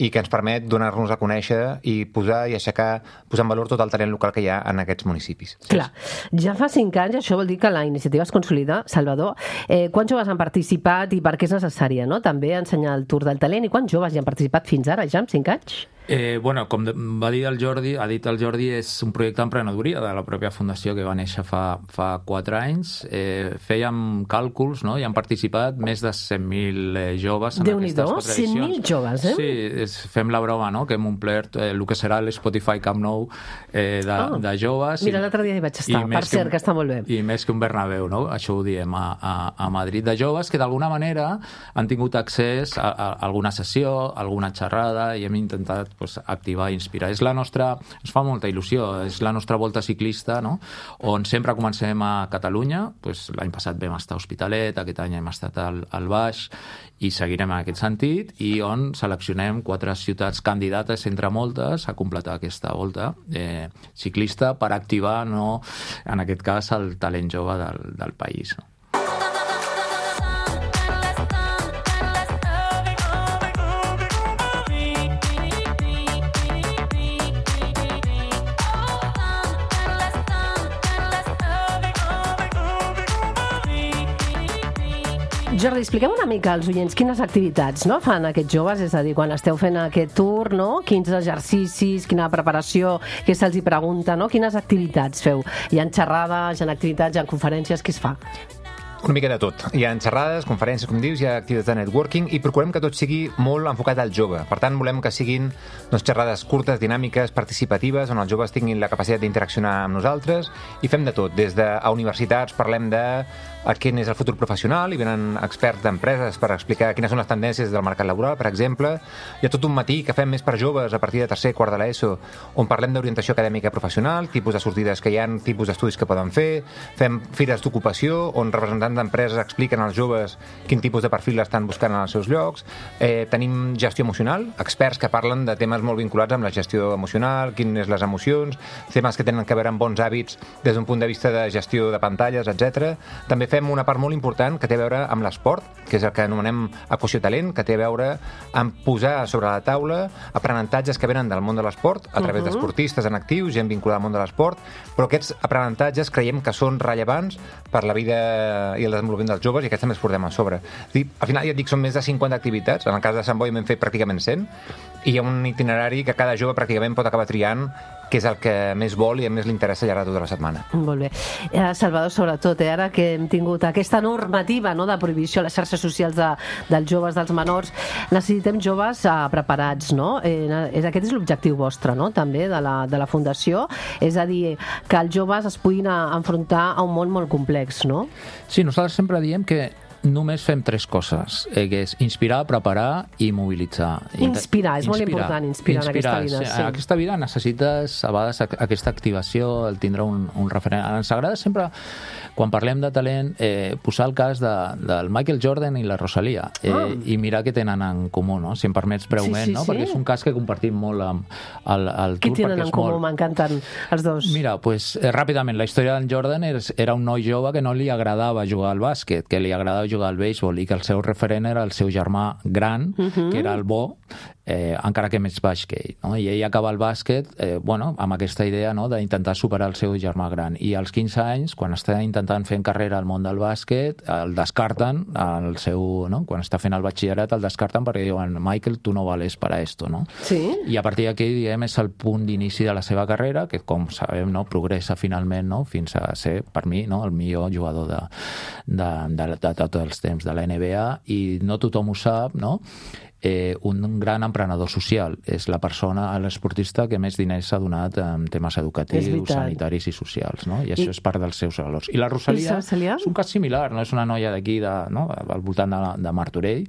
i que ens permet donar-nos a conèixer i posar i aixecar, posar en valor tot el talent local que hi ha en aquests municipis. Clar, ja fa cinc anys, això vol dir que la iniciativa es consolida. Salvador, eh, quants joves han participat i per què és necessària, no?, també ensenyar el Tour del Talent, i quants joves hi han participat fins ara, ja, en cinc anys? Eh, bueno, com va dir el Jordi, ha dit el Jordi, és un projecte d'emprenedoria de la pròpia fundació que va néixer fa, fa quatre anys. Eh, fèiem càlculs, no?, i han participat més de cent mil eh, joves en aquestes quatre edicions. cent mil joves, eh? Sí, és, fem la broma, no?, que hem omplert eh, el que serà l'Spotify Camp Nou eh, de, ah, de joves. Mira, l'altre dia hi vaig estar, per cert, que, que està molt bé. I més que un Bernabéu, no?, això ho diem a, a, a Madrid, de joves que d'alguna manera han tingut accés a, a alguna sessió, a alguna xerrada, i hem intentat pues, activar i inspirar. És la nostra, ens fa molta il·lusió, és la nostra volta ciclista, no?, on sempre comencem a Catalunya, pues, l'any passat vam estar a Hospitalet, aquest any hem estat al, al Baix, i seguirem en aquest sentit, i on seleccionem quatre ciutats candidates entre moltes a completar aquesta volta eh, ciclista per activar, no, en aquest cas, el talent jove del, del país, no? Jordi, expliquem una mica als oients quines activitats, no, fan aquests joves, és a dir, quan esteu fent aquest tour, no? Quins exercicis, quina preparació, què se'ls hi pregunta, no? Quines activitats feu? Hi ha xerrades, hi ha activitats, hi ha conferències, què es fa? Una mica de tot. Hi ha xerrades, conferències, com dius, hi ha activitats de networking i procurem que tot sigui molt enfocat al jove. Per tant, volem que siguin doncs, xerrades curtes, dinàmiques, participatives, on els joves tinguin la capacitat d'interaccionar amb nosaltres i fem de tot. Des de a universitats parlem de a quin és el futur professional, i venen experts d'empreses per explicar quines són les tendències del mercat laboral, per exemple. Hi ha tot un matí que fem més per joves a partir de tercer, quart de l'ESO, on parlem d'orientació acadèmica professional, tipus de sortides que hi ha, tipus d'estudis que poden fer, fem fires d'ocupació, on representants d'empreses expliquen als joves quin tipus de perfil estan buscant en els seus llocs. Eh, tenim gestió emocional, experts que parlen de temes molt vinculats amb la gestió emocional, quines les emocions, temes que tenen a veure amb bons hàbits des d'un punt de vista de gestió de pantalles, etcètera. També fem una part molt important que té a veure amb l'esport, que és el que anomenem equació talent, que té a veure amb posar sobre la taula aprenentatges que venen del món de l'esport, a través uh -huh. d'esportistes en actius, gent vinculada al món de l'esport, però aquests aprenentatges creiem que són rellevants per la vida i el desenvolupament dels joves, i aquests també els portem a sobre. Dir, al final, ja et dic, són més de cinquanta activitats. En el cas de Sant Boi hem fet pràcticament cent, i hi ha un itinerari que cada jove pràcticament pot acabar triant que és el que més vol i a més li interessa al llarg de tota la setmana. Molt bé. Eh, Salvador, sobretot, eh, ara que hem tingut aquesta normativa, no, de prohibició a les xarxes socials de, dels joves, dels menors, necessitem joves eh, preparats, no? Eh, és, aquest és l'objectiu vostre, no?, també, de la, de la Fundació. És a dir, que els joves es puguin a, enfrontar a un món molt complex, no? Sí, nosaltres sempre diem que només fem tres coses, eh, que és inspirar, preparar i mobilitzar. Inspirar, és inspirar, molt important, inspirar, inspirar en aquesta vida. Sí. En aquesta vida necessites a vegades aquesta activació, el tindre un, un referent. Ens agrada sempre, quan parlem de talent, eh, posar el cas de, del Michael Jordan i la Rosalia, eh, ah. i mirar què tenen en comú, no? Si em permets breument, sí, sí, no? Sí. Perquè és un cas que compartim molt amb el, el Què tour. Què tenen en comú? Molt... M'encanten els dos. Mira, pues, eh, ràpidament, la història d'en Jordan és, era un noi jove que no li agradava jugar al bàsquet, que li agradava jugar al béisbol, i que el seu referent era el seu germà gran, uh-huh. que era el bo, eh, encara que més baix que ell, no? I ell acaba el bàsquet eh, bueno, amb aquesta idea, no?, d'intentar superar el seu germà gran, i als quinze anys, quan està intentant fer carrera al món del bàsquet, el descarten, el seu, no?, quan està fent el batxillerat el descarten perquè diuen, Michael, tu no vales para esto, no? Sí. I a partir d'aquí, diguem, és el punt d'inici de la seva carrera, que com sabem, no?, progressa finalment, no?, fins a ser, per mi, no?, el millor jugador de, de, de, de, de tots els temps de la N B A, i no tothom ho sap, no?, Eh, un gran emprenedor social. És la persona, l'esportista que més diners s'ha donat en temes educatius, sanitaris i socials, no? I això I... és part dels seus valors. I la Rosalia, Rosalia és un cas similar, no? És una noia d'aquí, de, no?, al voltant de, de Martorell,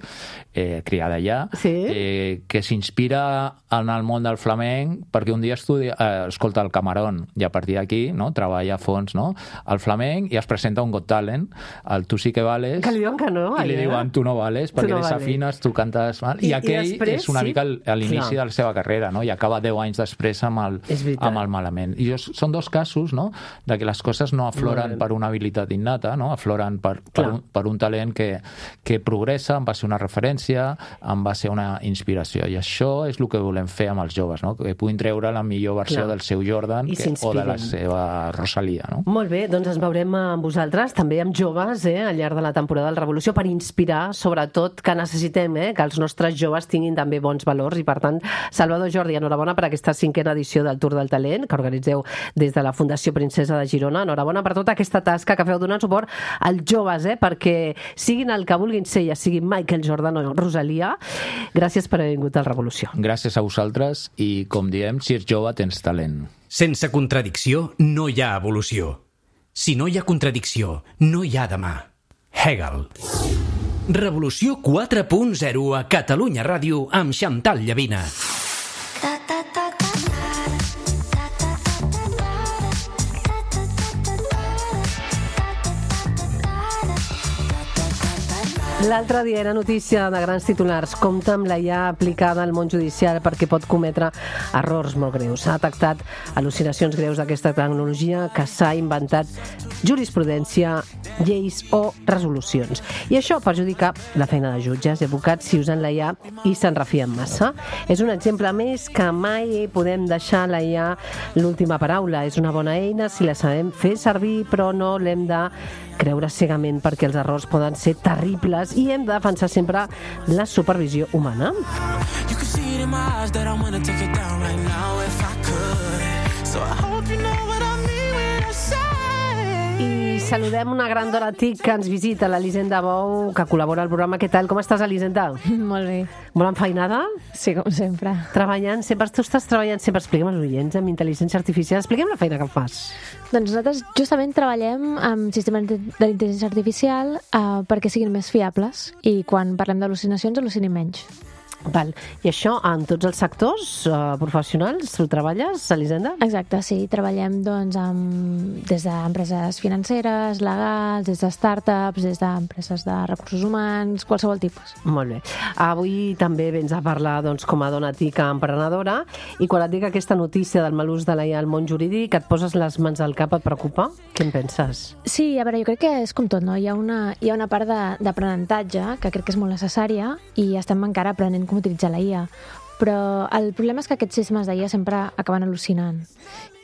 eh, criada allà, sí? eh, que s'inspira en el món del flamenc perquè un dia estudia, eh, escolta el Camarón, i a partir d'aquí, no?, treballa a fons, no?, el flamenc, i es presenta un Got Talent, el Tu sí que vales, que li diuen que no, i li diuen tu no vales, perquè no desafines, tu cantes mal. I, I aquell i després, és una mica sí? a l'inici de la seva carrera, no? I acaba deu anys després amb el, amb el malament. I són dos casos, no?, de que les coses no afloren per una habilitat innata, no?, afloren per, per, un, per un talent que, que progressa en base a una referència, en base a una inspiració. I això és el que volem fer amb els joves, no?, que puguin treure la millor versió Clar. del seu Jordan que, o de la seva Rosalia, no? Molt bé, doncs ens veurem amb vosaltres, també amb joves, eh, al llarg de la temporada del Revolució, per inspirar, sobretot, que necessitem, eh, que els nostres joves tinguin també bons valors, i per tant, Salvador, Jordi, enhorabona per aquesta cinquena edició del Tour del Talent que organitzeu des de la Fundació Princesa de Girona. Enhorabona per tota aquesta tasca que feu donant suport als joves, eh, perquè siguin el que vulguin ser, ja siguin Michael Jordan o Rosalia. Gràcies per haver vingut al Revolució. Gràcies a vosaltres, i com diem, si ets jove tens talent. Sense contradicció no hi ha evolució. Si no hi ha contradicció, no hi ha demà. Hegel. Revolució quatre punt zero a Catalunya Ràdio amb Xantal Llavina. L'altre dia era notícia de grans titulars. Compte amb la I A aplicada al món judicial perquè pot cometre errors molt greus. S'ha detectat al·lucinacions greus d'aquesta tecnologia que s'ha inventat jurisprudència, lleis o resolucions. I això perjudica la feina de jutges i advocats si usen la I A i se'n refien massa. És un exemple més que mai podem deixar la I A l'última paraula. És una bona eina si la sabem fer servir, però no l'hem de creure cegament perquè els errors poden ser terribles i hem de defensar sempre la supervisió humana. I saludem una gran dona tic que ens visita, l'Elisenda Bou, que col·labora al programa. Què tal? Com estàs, Elisenda? Molt bé. Molt enfeinada? Sí, com sempre. Treballant sempre, tu estàs treballant sempre, expliquem als oients, amb intel·ligència artificial, expliquem la feina que fas. Doncs nosaltres justament treballem amb sistemes d'intel·ligència artificial uh, perquè siguin més fiables i quan parlem d'al·lucinacions, al·lucinin menys. Val. I això en tots els sectors uh, professionals ho treballes, Elisenda? Exacte, sí. Treballem doncs, amb, des d'empreses financeres, legals, des de startups, des d'empreses de recursos humans, qualsevol tipus. Molt bé. Avui també vens a parlar doncs, com a dona tica emprenedora i quan et dic aquesta notícia del mal ús de l'A I A al món jurídic, et poses les mans al cap, et preocupa? Què en penses? Sí, a veure, jo crec que és com tot, no? Hi ha una, hi ha una part de- d'aprenentatge que crec que és molt necessària i estem encara aprenent com utilitzar la I A. Però el problema és que aquests sistemes d'I A sempre acaben al·lucinant.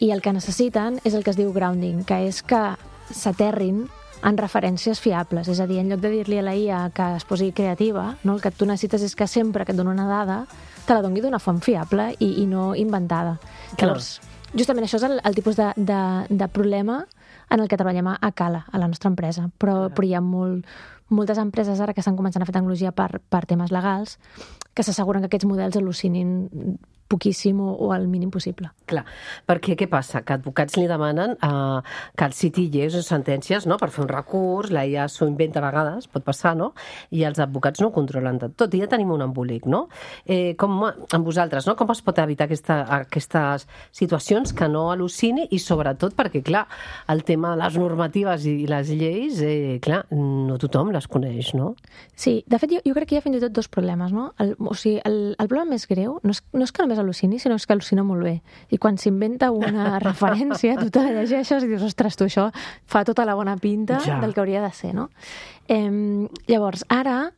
I el que necessiten és el que es diu grounding, que és que s'aterrin en referències fiables. És a dir, en lloc de dir-li a la I A que es posi creativa, no? El que tu necessites és que sempre que et doni una dada te la doni d'una font fiable i, i no inventada. Clar. Llavors, justament això és el, el tipus de, de, de problema en el que treballem a, a Cala, a la nostra empresa. Però, però hi ha molt, moltes empreses ara que estan començant a fer tecnologia per, per temes legals que s'asseguren que aquests models al·lucinin poquíssim o, o el mínim possible. Clar, perquè què passa? Que advocats li demanen uh, que els citi lleis o sentències, no?, per fer un recurs, la I A s'ho inventa a vegades, pot passar, no?, i els advocats no ho controlen de tot, i ja tenim un embolic, no? Eh, com amb vosaltres, no?, com es pot evitar aquesta, aquestes situacions que no al·lucini i sobretot perquè, clar, el tema de les normatives i les lleis, eh, clar, no tothom les coneix, no? Sí, de fet, jo, jo crec que hi ha fins i tot dos problemes, no? El, o sigui, el, el problema més greu no és, no és que només al·lucini, sinó és que al·lucina molt bé. I quan s'inventa una referència, tu te la llegeixes i dius, ostres, tu això fa tota la bona pinta Ja. del que hauria de ser, no? Eh, llavors, ara,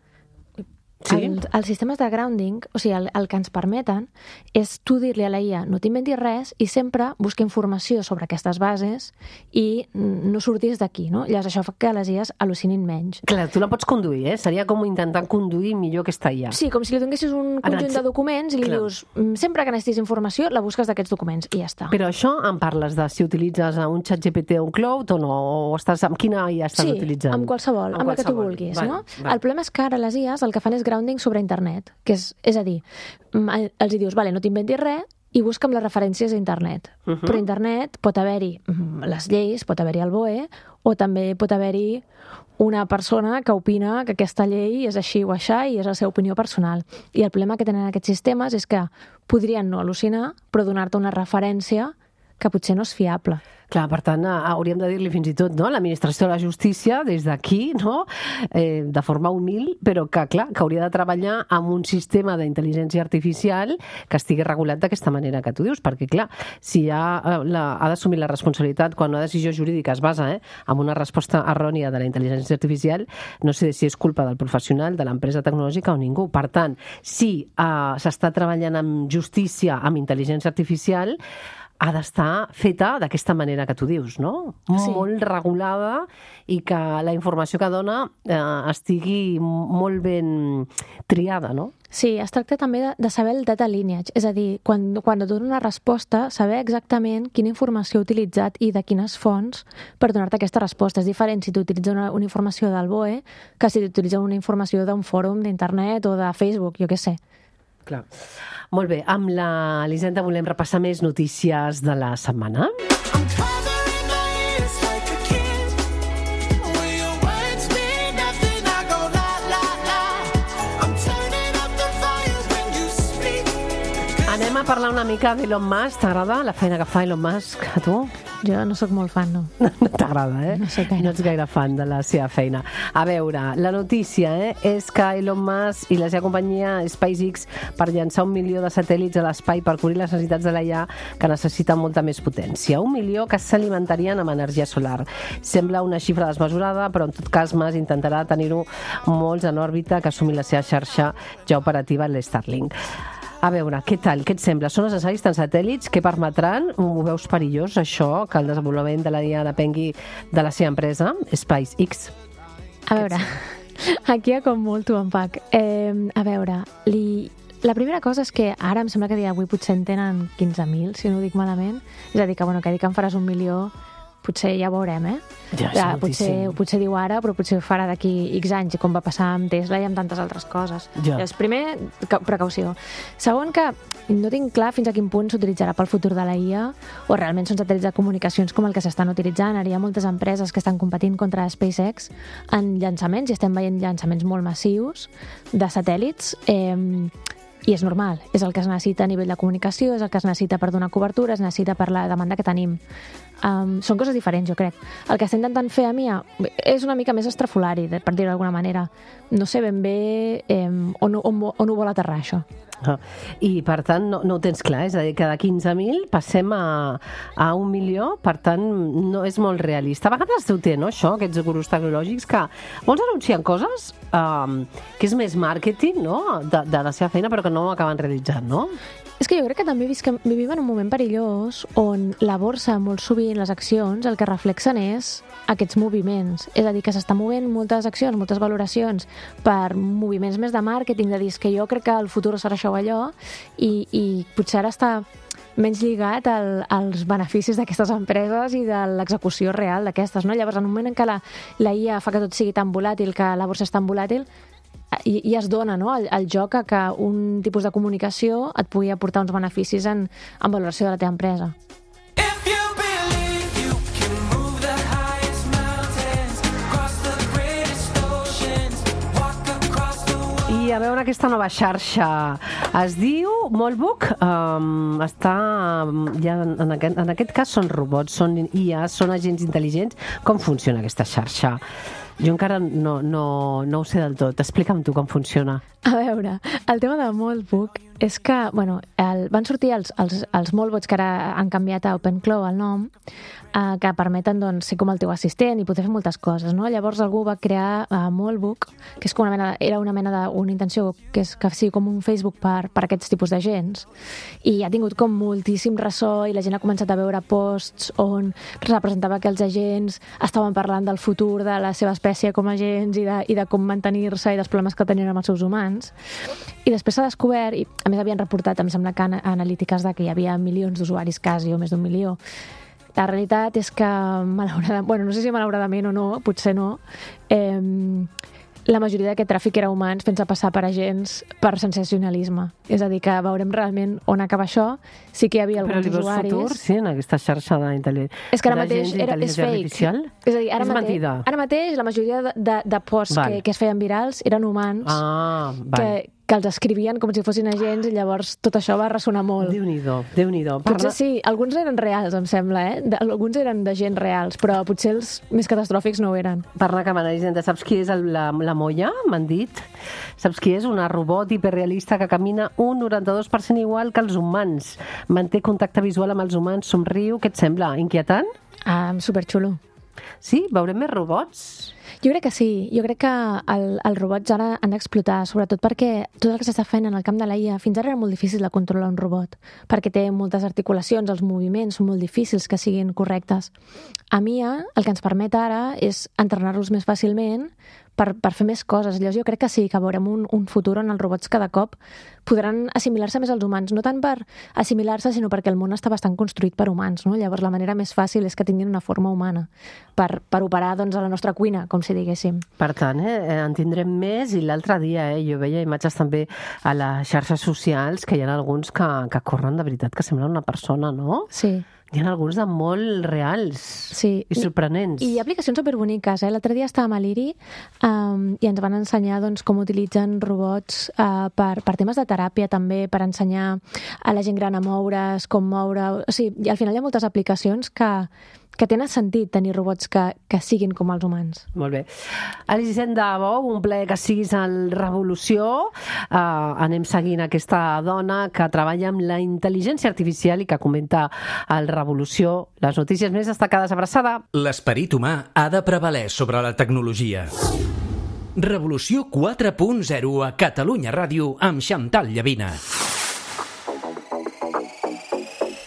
Sí? els, els sistemes de grounding, o sigui, el, el que ens permeten és tu dir-li a la I A, no t'inventis res, i sempre busca informació sobre aquestes bases i no surtis d'aquí, no? Llavors, això fa que les I As al·lucinin menys. Clar, tu la pots conduir, eh? Seria com intentar conduir millor aquesta I A. Sí, com si li donessis un conjunt Anat- de documents i li Clar. dius, "Mm, sempre que necessitis informació, la busques d'aquests documents, i ja està. Però això em parles de si utilitzes un xat G P T o un Cloud o no? O estàs, amb quina I A estàs sí, utilitzant? amb qualsevol, amb, la que tu qualsevol. vulguis, Val, no? val. El problema és que ara les I As el que fan és grounding sobre internet, que és, és a dir, mm, els hi dius, vale, no t'inventis res, i busca'm les referències a internet. Uh-huh. Però a internet pot haver-hi mm, les lleis, pot haver-hi el B O E, o també pot haver-hi una persona que opina que aquesta llei és així o aixà i és la seva opinió personal. I el problema que tenen aquests sistemes és que podrien no al·lucinar, però donar-te una referència que potser no és fiable. Clar, per tant, eh, hauríem de dir-li fins i tot, no?, l'administració de la justícia, des d'aquí, no?, eh, de forma humil, però que, clar, que hauria de treballar amb un sistema d'intel·ligència artificial que estigui regulat d'aquesta manera que tu dius, perquè, clar, si ha, eh, la, ha d'assumir la responsabilitat quan una decisió jurídica es basa eh, en una resposta errònia de la intel·ligència artificial, no sé si és culpa del professional, de l'empresa tecnològica o ningú. Per tant, si eh, s'està treballant amb justícia, amb intel·ligència artificial, ha d'estar feta d'aquesta manera que tu dius, no? Sí. Molt regulada i que la informació que dona eh, estigui molt ben triada, no? Sí, es tracta també de, de saber el data lineage, és a dir, quan, quan et dona una resposta, saber exactament quina informació ha utilitzat i de quines fonts per donar-te aquesta resposta. És diferent si t'utilitza una, una informació del B O E que si t'utilitza una informació d'un fòrum d'internet o de Facebook, jo què sé. Clar. Molt bé, amb la Elisenda volem repassar més notícies de la setmana. I'm covering my ears like a kid. When your words mean nothing, I go la la la. I'm turning up the volume when you speak. Anem a parlar una mica d'Elon Musk. T'agrada la feina que fa Elon Musk a tu? Jo no sóc molt fan, no. No t'agrada, eh? No sé gaire. No ets gaire fan de la seva feina. A veure, la notícia eh, és que Elon Musk i la seva companyia SpaceX per llançar un milió de satèl·lits a l'espai per cobrir les necessitats de la I A que necessiten molta més potència. Un milió que s'alimentarien amb energia solar. Sembla una xifra desmesurada, però en tot cas Musk intentarà tenir-ho molts en òrbita que assumi la seva xarxa ja operativa, l'Starlink. A veure, què tal? Què et sembla? Són necessaris tants satèl·lits que permetran, ho veus perillós, això, que el desenvolupament de la I A depengui de la seva empresa, SpaceX? A veure, aquí hi ha com molt to unpack. Eh, a veure, li... la primera cosa és que ara em sembla que a dia d'avui potser en tenen quinze mil, si no ho dic malament. És a dir, que, bueno, que dir que en faràs un milió potser ja ho veurem, eh? Ja, és Ja, moltíssim. potser, potser diu ara, però potser ho farà d'aquí X anys, com va passar amb Tesla i amb tantes altres coses. Ja. Llavors, primer, ca- precaució. Segon, que no tinc clar fins a quin punt s'utilitzarà pel futur de la I A o realment són satèl·lits de comunicacions com el que s'estan utilitzant. Ara hi ha moltes empreses que estan competint contra SpaceX en llançaments i estem veient llançaments molt massius de satèl·lits. Eh, I és normal, és el que es necessita a nivell de comunicació, és el que es necessita per donar cobertura, es necessita per la demanda que tenim. Um, són coses diferents, jo crec. El que està intentant fer a mi és una mica més estrafolari, per dir-ho d'alguna manera. No sé ben bé eh, on, on, on ho vol aterrar, això. Ah, I, per tant, no, no ho tens clar, és a dir, que de quinze mil passem a, a un milió, per tant, no és molt realista. A vegades ho té, no, això, aquests gurus tecnològics, que molts anuncien coses um, que és més màrqueting, no?, de, de la seva feina, però que no ho acaben realitzant, no? És que jo crec que també visquem, vivim en un moment perillós on la borsa, molt sovint, les accions, el que reflexen és aquests moviments. És a dir, que s'estan movent moltes accions, moltes valoracions per moviments més de màrqueting, de dir que jo crec que el futur serà això o allò, i, i potser ara està menys lligat al, als beneficis d'aquestes empreses i de l'execució real d'aquestes, no? Llavors, en un moment en què la, la I A fa que tot sigui tan volàtil, que la borsa és tan volàtil, i, i es dona, no?, el, el joc a que un tipus de comunicació et pugui aportar uns beneficis en, en valoració de la teva empresa. If you believe you can move the highest mountains, cross the greatest oceans, walk across the world. I a veure aquesta nova xarxa. Es diu Molbook, um, està, ja en, aquest, en aquest cas són robots, són I A, són agents intel·ligents. Com funciona aquesta xarxa? Jo encara no, no, no ho sé del tot. Explica'm tu com funciona. A veure, el tema de Moltbook és que, bueno, el, van sortir els, els, els Moltbots que ara han canviat a OpenClaw el nom, eh, que permeten, doncs, ser com el teu assistent i poder fer moltes coses, no? Llavors algú va crear uh, Moltbook, que és com una mena, era una mena d'una intenció que, és, que sigui com un Facebook per, per aquests tipus d'agents, i ha tingut com moltíssim ressò i la gent ha començat a veure posts on representava que els agents estaven parlant del futur de la seva espècie com a agents i de, i de com mantenir-se i dels problemes que tenien amb els seus humans. I després s'ha descobert, i a més havien reportat, em sembla que analítiques de que hi havia milions d'usuaris quasi, o més d'un milió. La realitat és que, malauradament, bueno, no sé si malauradament o no, potser no, eh, la majoria d'aquest tràfic era humans fent-se passar per agents per sensacionalisme. És a dir, que veurem realment on acaba això. Sí que hi havia alguns Però usuaris... Però li veus futur, sí, en aquesta xarxa d'intel·ligència És que ara mateix era, és fake. Artificial? És a dir, ara, és mateix, mentida. ara mateix la majoria de, de, de posts Val. que, que es feien virals eren humans Ah, val. que, que els escrivien com si fossin agents i llavors tot això va ressonar molt. Déu-n'hi-do, Déu-n'hi-do. Potser Parla- sí, alguns eren reals, em sembla, eh? De, alguns eren de gent reals, però potser els més catastròfics no ho eren. Parla que m'analitzen, saps qui és el, la, la Moya? M'han dit. Saps qui és? Una robot hiperrealista que camina un noranta-dos per cent igual que els humans. Manté contacte visual amb els humans, somriu. Què et sembla? Inquietant? Ah, superxulo. Sí? Veurem més robots? Jo crec que sí. Jo crec que el, els robots ara han d'explotar, sobretot perquè tot el que s'està fent en el camp de la I A fins ara era molt difícil de controlar un robot, perquè té moltes articulacions, els moviments són molt difícils que siguin correctes. Amb I A, el que ens permet ara és entrenar-los més fàcilment per, per fer més coses. Llavors jo crec que sí, que veurem un, un futur on els robots cada cop podran assimilar-se més als humans, no tant per assimilar-se, sinó perquè el món està bastant construït per humans, no? Llavors la manera més fàcil és que tinguin una forma humana per, per operar, doncs, a la nostra cuina, com si diguéssim. Per tant, eh, en tindrem més, i l'altre dia eh, jo veia imatges també a les xarxes socials que hi ha alguns que, que corren de veritat, que semblen una persona, no? Sí. Hi ha alguns de molt reals Sí. i sorprenents. I hi ha aplicacions superboniques. Eh? L'altre dia estàvem a l'I R I um, i ens van ensenyar doncs, com utilitzen robots uh, per, per temes de teràpia també, per ensenyar a la gent gran a moure's, com moure... O sigui, al final hi ha moltes aplicacions que, que tenen sentit tenir robots que, que siguin com els humans. Molt bé. Alice Hisenda, un plaer que siguis al Revolució. Uh, anem seguint aquesta dona que treballa amb la intel·ligència artificial i que comenta al Revolució les notícies més destacades. Abraçada. L'esperit humà ha de prevaler sobre la tecnologia. Revolució quatre punt zero a Catalunya Ràdio amb Xantal Llavina.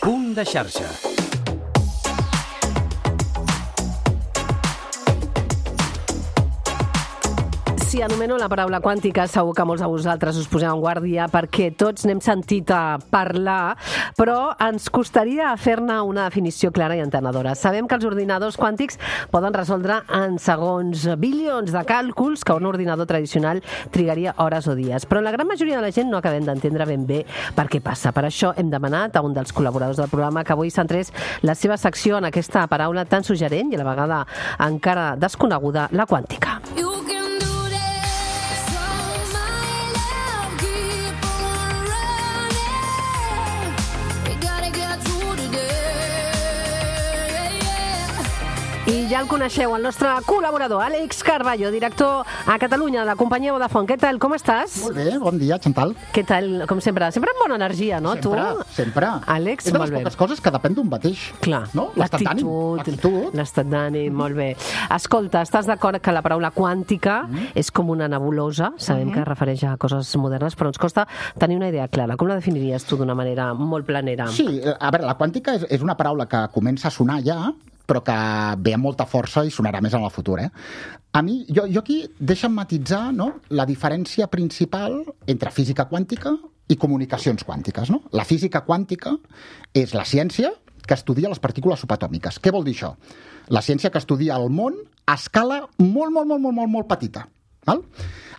Punt de xarxa. Si anomeno la paraula quàntica, segur que molts de vosaltres us poseu en guàrdia perquè tots n'hem sentit a parlar, però ens costaria fer-ne una definició clara i entenedora. Sabem que els ordinadors quàntics poden resoldre en segons bilions de càlculs que un ordinador tradicional trigaria hores o dies, però la gran majoria de la gent no acabem d'entendre ben bé per què passa. Per això hem demanat a un dels col·laboradors del programa que avui centrés la seva secció en aquesta paraula tan suggerent i a la vegada encara desconeguda, la quàntica. You can do this, so my love, keep on running. We gotta get through today, yeah. I ja el coneixeu, el nostre col·laborador, Àlex Carballo, director a Catalunya de la companyia Vodafone. Què tal, com estàs? Molt bé, bon dia, Chantal. Què tal, com sempre? Sempre amb bona energia, no, sempre, tu? sempre. Àlex, és de molt les bé. poques coses que depèn d'un mateix. Clar, no? L'estat d'ànim. l'actitud, l'estat d'ànim, molt bé. Escolta, estàs d'acord que la paraula quàntica mm. és com una nebulosa? Sabem mm -hmm. que es refereix a coses modernes, però ens costa tenir una idea clara. Com la definiries tu d'una manera molt planera? Sí, a veure, la quàntica és, és una paraula que comença a sonar ja, però que ve amb molta força i sonarà més en el futur. Eh? A mi, jo, jo aquí deixa'm matitzar, no?, la diferència principal entre física quàntica i comunicacions quàntiques. No? La física quàntica és la ciència que estudia les partícules subatòmiques. Què vol dir això? La ciència que estudia el món a escala molt, molt, molt, molt, molt, molt petita. Val?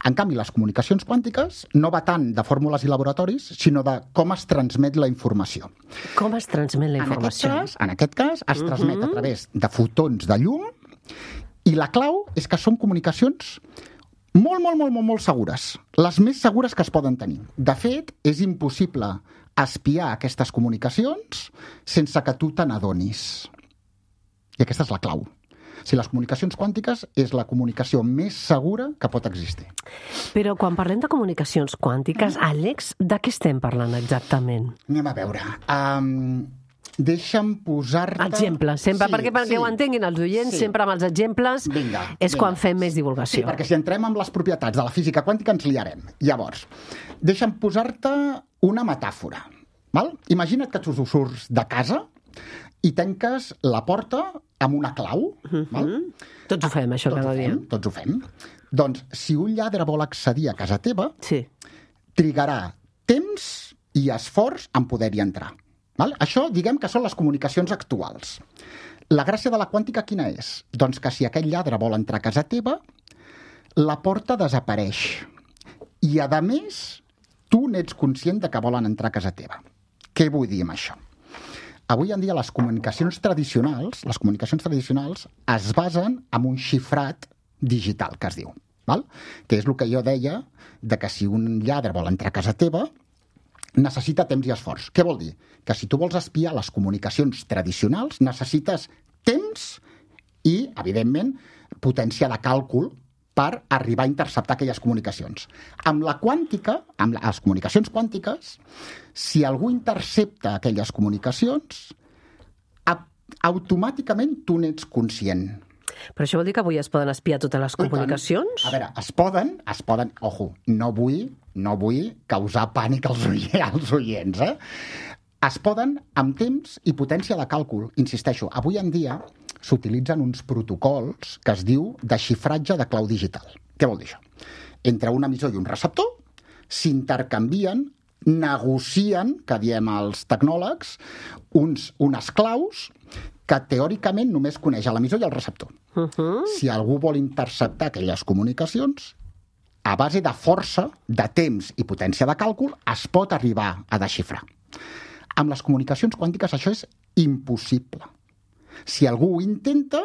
En canvi, les comunicacions quàntiques no va tant de fórmules i laboratoris, sinó de com es transmet la informació. Com es transmet la informació? En aquest cas, en aquest cas es uh-huh. transmet a través de fotons de llum i la clau és que són comunicacions molt, molt, molt, molt, molt segures. Les més segures que es poden tenir. De fet, és impossible espiar aquestes comunicacions sense que tu te n'adonis. I aquesta és la clau. Si les comunicacions quàntiques és la comunicació més segura que pot existir. Però quan parlem de comunicacions quàntiques, Àlex, de què estem parlant exactament? Anem a veure. Um, deixa'm posar-te... Exemples, sempre, sí, perquè perquè sí. ho entenguin els oients, Sí. sempre amb els exemples Vinga, és vinga. quan fem més divulgació. Sí, perquè si entrem amb les propietats de la física quàntica ens liarem. Llavors, deixa'm posar-te una metàfora. Val? Imagina't que tu surts de casa i tanques la porta amb una clau. Mm-hmm. Val? Tots ho fem, això, Tots cada ho dia. fem, tots ho fem. Doncs, si un lladre vol accedir a casa teva, Sí. trigarà temps i esforç en poder-hi entrar. Val? Això, diguem que són les comunicacions actuals. La gràcia de la quàntica quina és? Doncs que si aquell lladre vol entrar a casa teva, la porta desapareix. I, a més, tu n'ets conscient de que volen entrar a casa teva. Què vull dir amb això? Avui en dia les comunicacions tradicionals, les comunicacions tradicionals es basen en un xifrat digital, que es diu. Val? Que és el que jo deia, de que si un lladre vol entrar a casa teva, necessita temps i esforç. Què vol dir? Que si tu vols espiar les comunicacions tradicionals, necessites temps i, evidentment, potència de càlcul per arribar a interceptar aquelles comunicacions. Amb la quàntica, amb les comunicacions quàntiques, si algú intercepta aquelles comunicacions, automàticament tu n'ets conscient. Però això vol dir que avui es poden espiar totes les comunicacions? A veure, es poden, es poden... Ojo, no vull, no vull causar pànic als, oients, als oients, eh? Es poden amb temps i potència de càlcul. Insisteixo, avui en dia s'utilitzen uns protocols que es diu de xifratge de clau digital. Què vol dir això? Entre un emissor i un receptor s'intercanvien, negocien, que diem els tecnòlegs, uns, unes claus que teòricament només coneix l'emissor i el receptor. Uh-huh. Si algú vol interceptar aquelles comunicacions, a base de força, de temps i potència de càlcul, es pot arribar a desxifrar. Amb les comunicacions quàntiques això és impossible. Si algú ho intenta,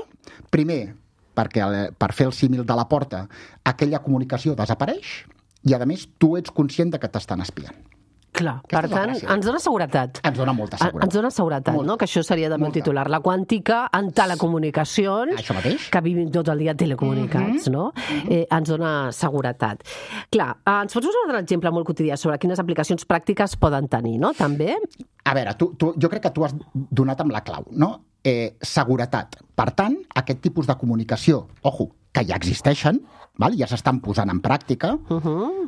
primer, perquè per fer el símil de la porta, aquella comunicació desapareix i, a més, tu ets conscient de que t'estan espiant. Clar, Aquesta per és la tant, gràcia. ens dona seguretat. Ens dona molta seguretat. Ens dona seguretat, Molta. no? Que això seria també el Molta. titular. La quàntica en telecomunicacions, Això mateix. que vivim tot el dia telecomunicats, Mhm. no? Eh, ens dona seguretat. Clar, eh, ens pots posar un altre exemple molt quotidià sobre quines aplicacions pràctiques poden tenir, no? També? A veure, tu, tu, jo crec que tu has donat amb la clau, no? Eh, seguretat. Per tant, aquest tipus de comunicació, ojo, que ja existeixen, val? Ja s'estan posant en pràctica. Uh-huh.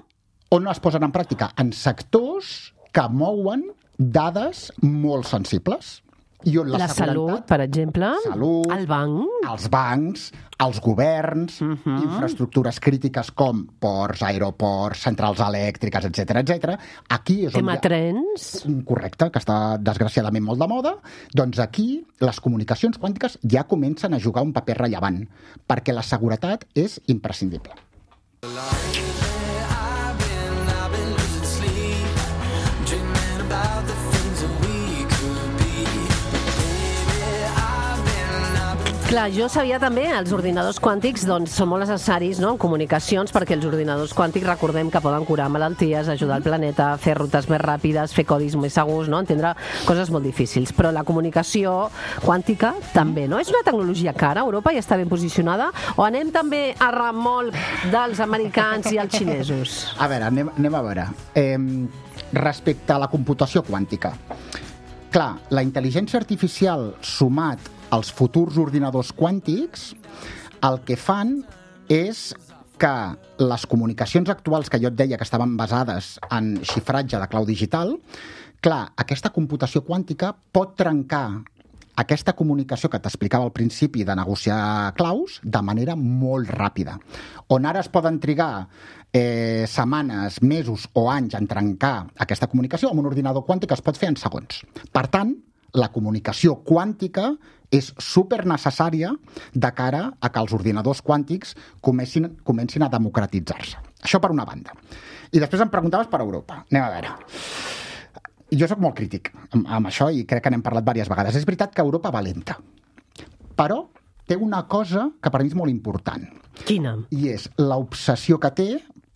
On es posen en pràctica? En sectors que mouen dades molt sensibles. I on la, La salut, per exemple, Salut. el banc, els bancs, els governs, uh -huh. infraestructures crítiques com ports, aeroports, centrals elèctriques, etcètera, etcètera. Aquí és on tema hi ha... trens... Correcte, que està desgraciadament molt de moda. Doncs aquí les comunicacions quàntiques ja comencen a jugar un paper rellevant, perquè la seguretat és imprescindible. Clar, jo sabia també, els ordinadors quàntics doncs, són molt necessaris, no?, en comunicacions, perquè els ordinadors quàntics recordem que poden curar malalties, ajudar el planeta, fer rutes més ràpides, fer codis més segurs, no?, entendre coses molt difícils. Però la comunicació quàntica també, no? És una tecnologia cara, Europa ja està ben posicionada, o anem també a remolc dels americans i els xinesos? A veure, anem, anem a veure. Eh, respecte a la computació quàntica, clar, la intel·ligència artificial sumat els futurs ordinadors quàntics, el que fan és que les comunicacions actuals que jo et deia que estaven basades en xifratge de clau digital, clar, aquesta computació quàntica pot trencar aquesta comunicació que t'explicava al principi de negociar claus de manera molt ràpida. On ara es poden trigar eh, setmanes, mesos o anys en trencar aquesta comunicació, amb un ordinador quàntic es pot fer en segons. Per tant, la comunicació quàntica és supernecessària de cara a que els ordinadors quàntics comencin, comencin a democratitzar-se. Això per una banda. I després em preguntaves per Europa. Anem a veure. Jo sóc molt crític amb, amb això i crec que n'hem parlat diverses vegades. És veritat que Europa va lenta, però té una cosa que per mi és molt important. Quina? I és l'obsessió que té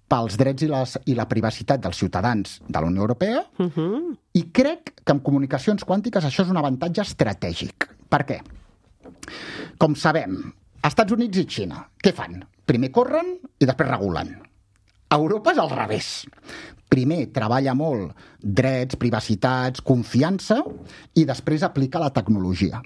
pels drets i, les, i la privacitat dels ciutadans de la Unió Europea, uh-huh. i crec que en comunicacions quàntiques això és un avantatge estratègic. Per què? Com sabem, Estats Units i Xina, què fan? Primer corren i després regulen. Europa és al revés. Primer treballa molt drets, privacitats, confiança, i després aplica la tecnologia.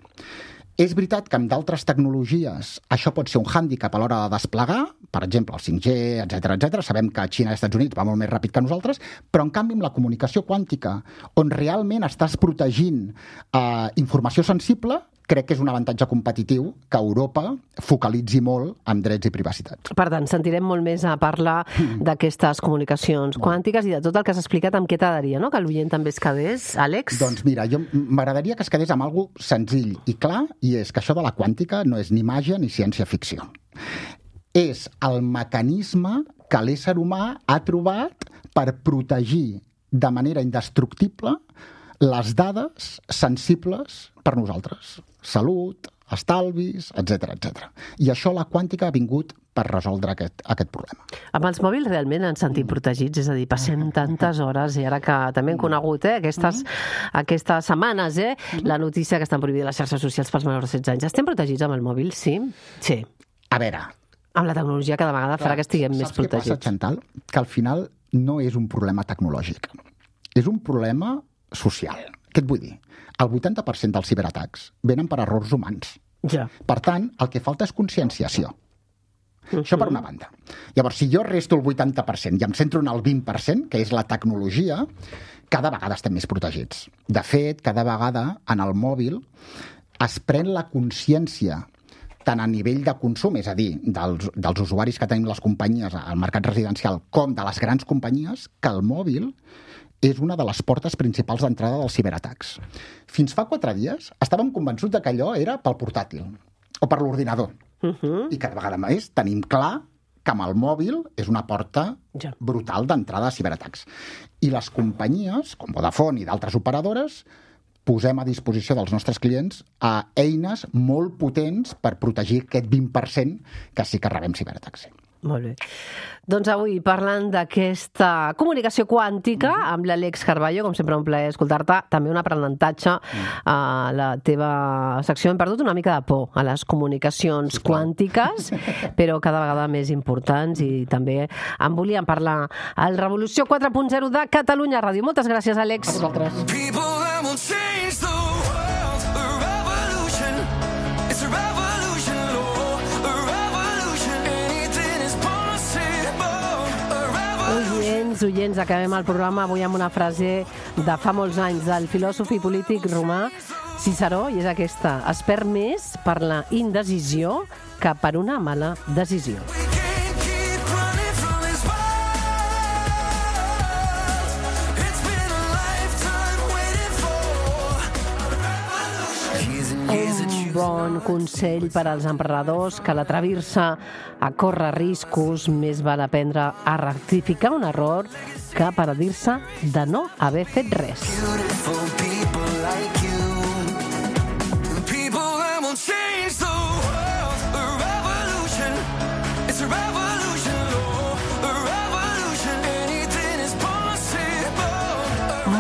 És veritat que amb d'altres tecnologies això pot ser un hàndicap a l'hora de desplegar, per exemple, el cinc G, etcètera, etcètera. Sabem que Xina i Estats Units va molt més ràpid que nosaltres, però en canvi amb la comunicació quàntica, on realment estàs protegint eh, informació sensible, crec que és un avantatge competitiu que Europa focalitzi molt en drets i privacitat. Per tant, sentirem molt més a parlar d'aquestes comunicacions quàntiques i de tot el que has explicat. Amb què t'agradaria, no?, que l'oient també es quedés, Àlex? Doncs mira, jo m'agradaria que es quedés amb alguna cosa senzill i clar, i és que això de la quàntica no és ni màgia ni ciència-ficció. És el mecanisme que l'ésser humà ha trobat per protegir de manera indestructible les dades sensibles per nosaltres. Salut, estalvis, etcètera, etcètera. I això la quàntica ha vingut per resoldre aquest, aquest problema. Amb els mòbils realment ens sentim protegits, és a dir, passem tantes hores, i ara que també hem conegut eh, aquestes, aquestes setmanes, eh, la notícia que estan prohibides les xarxes socials pels menors de setze anys. Estem protegits amb el mòbil, sí? Sí. A veure... Amb la tecnologia cada vegada farà que estiguem més protegits. Saps què passa, Chantal? Que al final no és un problema tecnològic. És un problema social. Què et vull dir? El vuitanta per cent dels ciberatacs venen per errors humans. Ja. Per tant, el que falta és conscienciació. Uh-huh. Això per una banda. Llavors, si jo resto el vuitanta per cent i em centro en el vint per cent, que és la tecnologia, cada vegada estem més protegits. De fet, cada vegada en el mòbil es pren la consciència tant a nivell de consum, és a dir, dels, dels usuaris que tenim les companyies al mercat residencial, com de les grans companyies, que el mòbil és una de les portes principals d'entrada dels ciberatacs. Fins fa quatre dies estàvem convençuts de que allò era pel portàtil o per l'ordinador. Uh-huh. I cada vegada més tenim clar que amb el mòbil és una porta ja. brutal d'entrada a ciberatacs. I les companyies, com Vodafone i d'altres operadores, posem a disposició dels nostres clients a eines molt potents per protegir aquest vint per cent que sí que rebem ciberatacs. Molt bé. Doncs avui, parlant d'aquesta comunicació quàntica amb l'Àlex Carballo, com sempre un plaer escoltar-te, també un aprenentatge a la teva secció. Hem perdut una mica de por a les comunicacions sí, quàntiques, però cada vegada més importants, i també en volíem parlar al Revolució quatre punt zero de Catalunya Ràdio. Moltes gràcies, Àlex. A vosaltres. Oients, oients, acabem el programa avui amb una frase de fa molts anys del filòsof i polític romà Ciceró, i és aquesta, es perd més per la indecisió que per una mala decisió. Un bon consell per als emprenedors que l'atrevir-se a córrer riscos més val aprendre a rectificar un error que penedir-se de no haver fet res.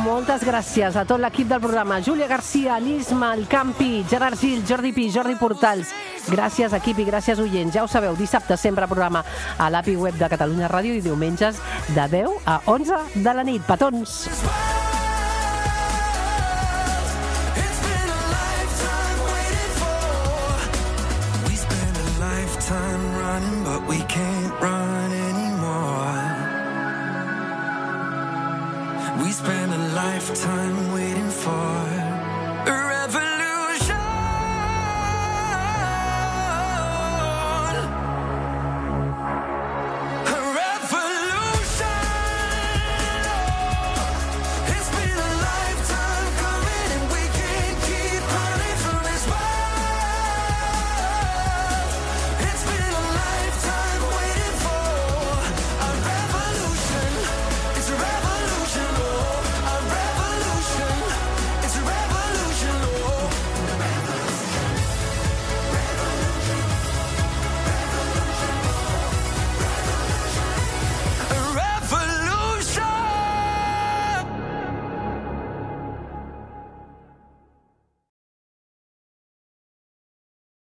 Moltes gràcies a tot l'equip del programa. Júlia Garcia, l'Isma, el Campi, Gerard Gil, Jordi Pi, Jordi Portals. Gràcies, equip, i gràcies, oients. Ja ho sabeu, dissabte sempre programa a l'A P I web de Catalunya Ràdio i diumenges de deu a onze de la nit. Petons! We spend a lifetime waiting.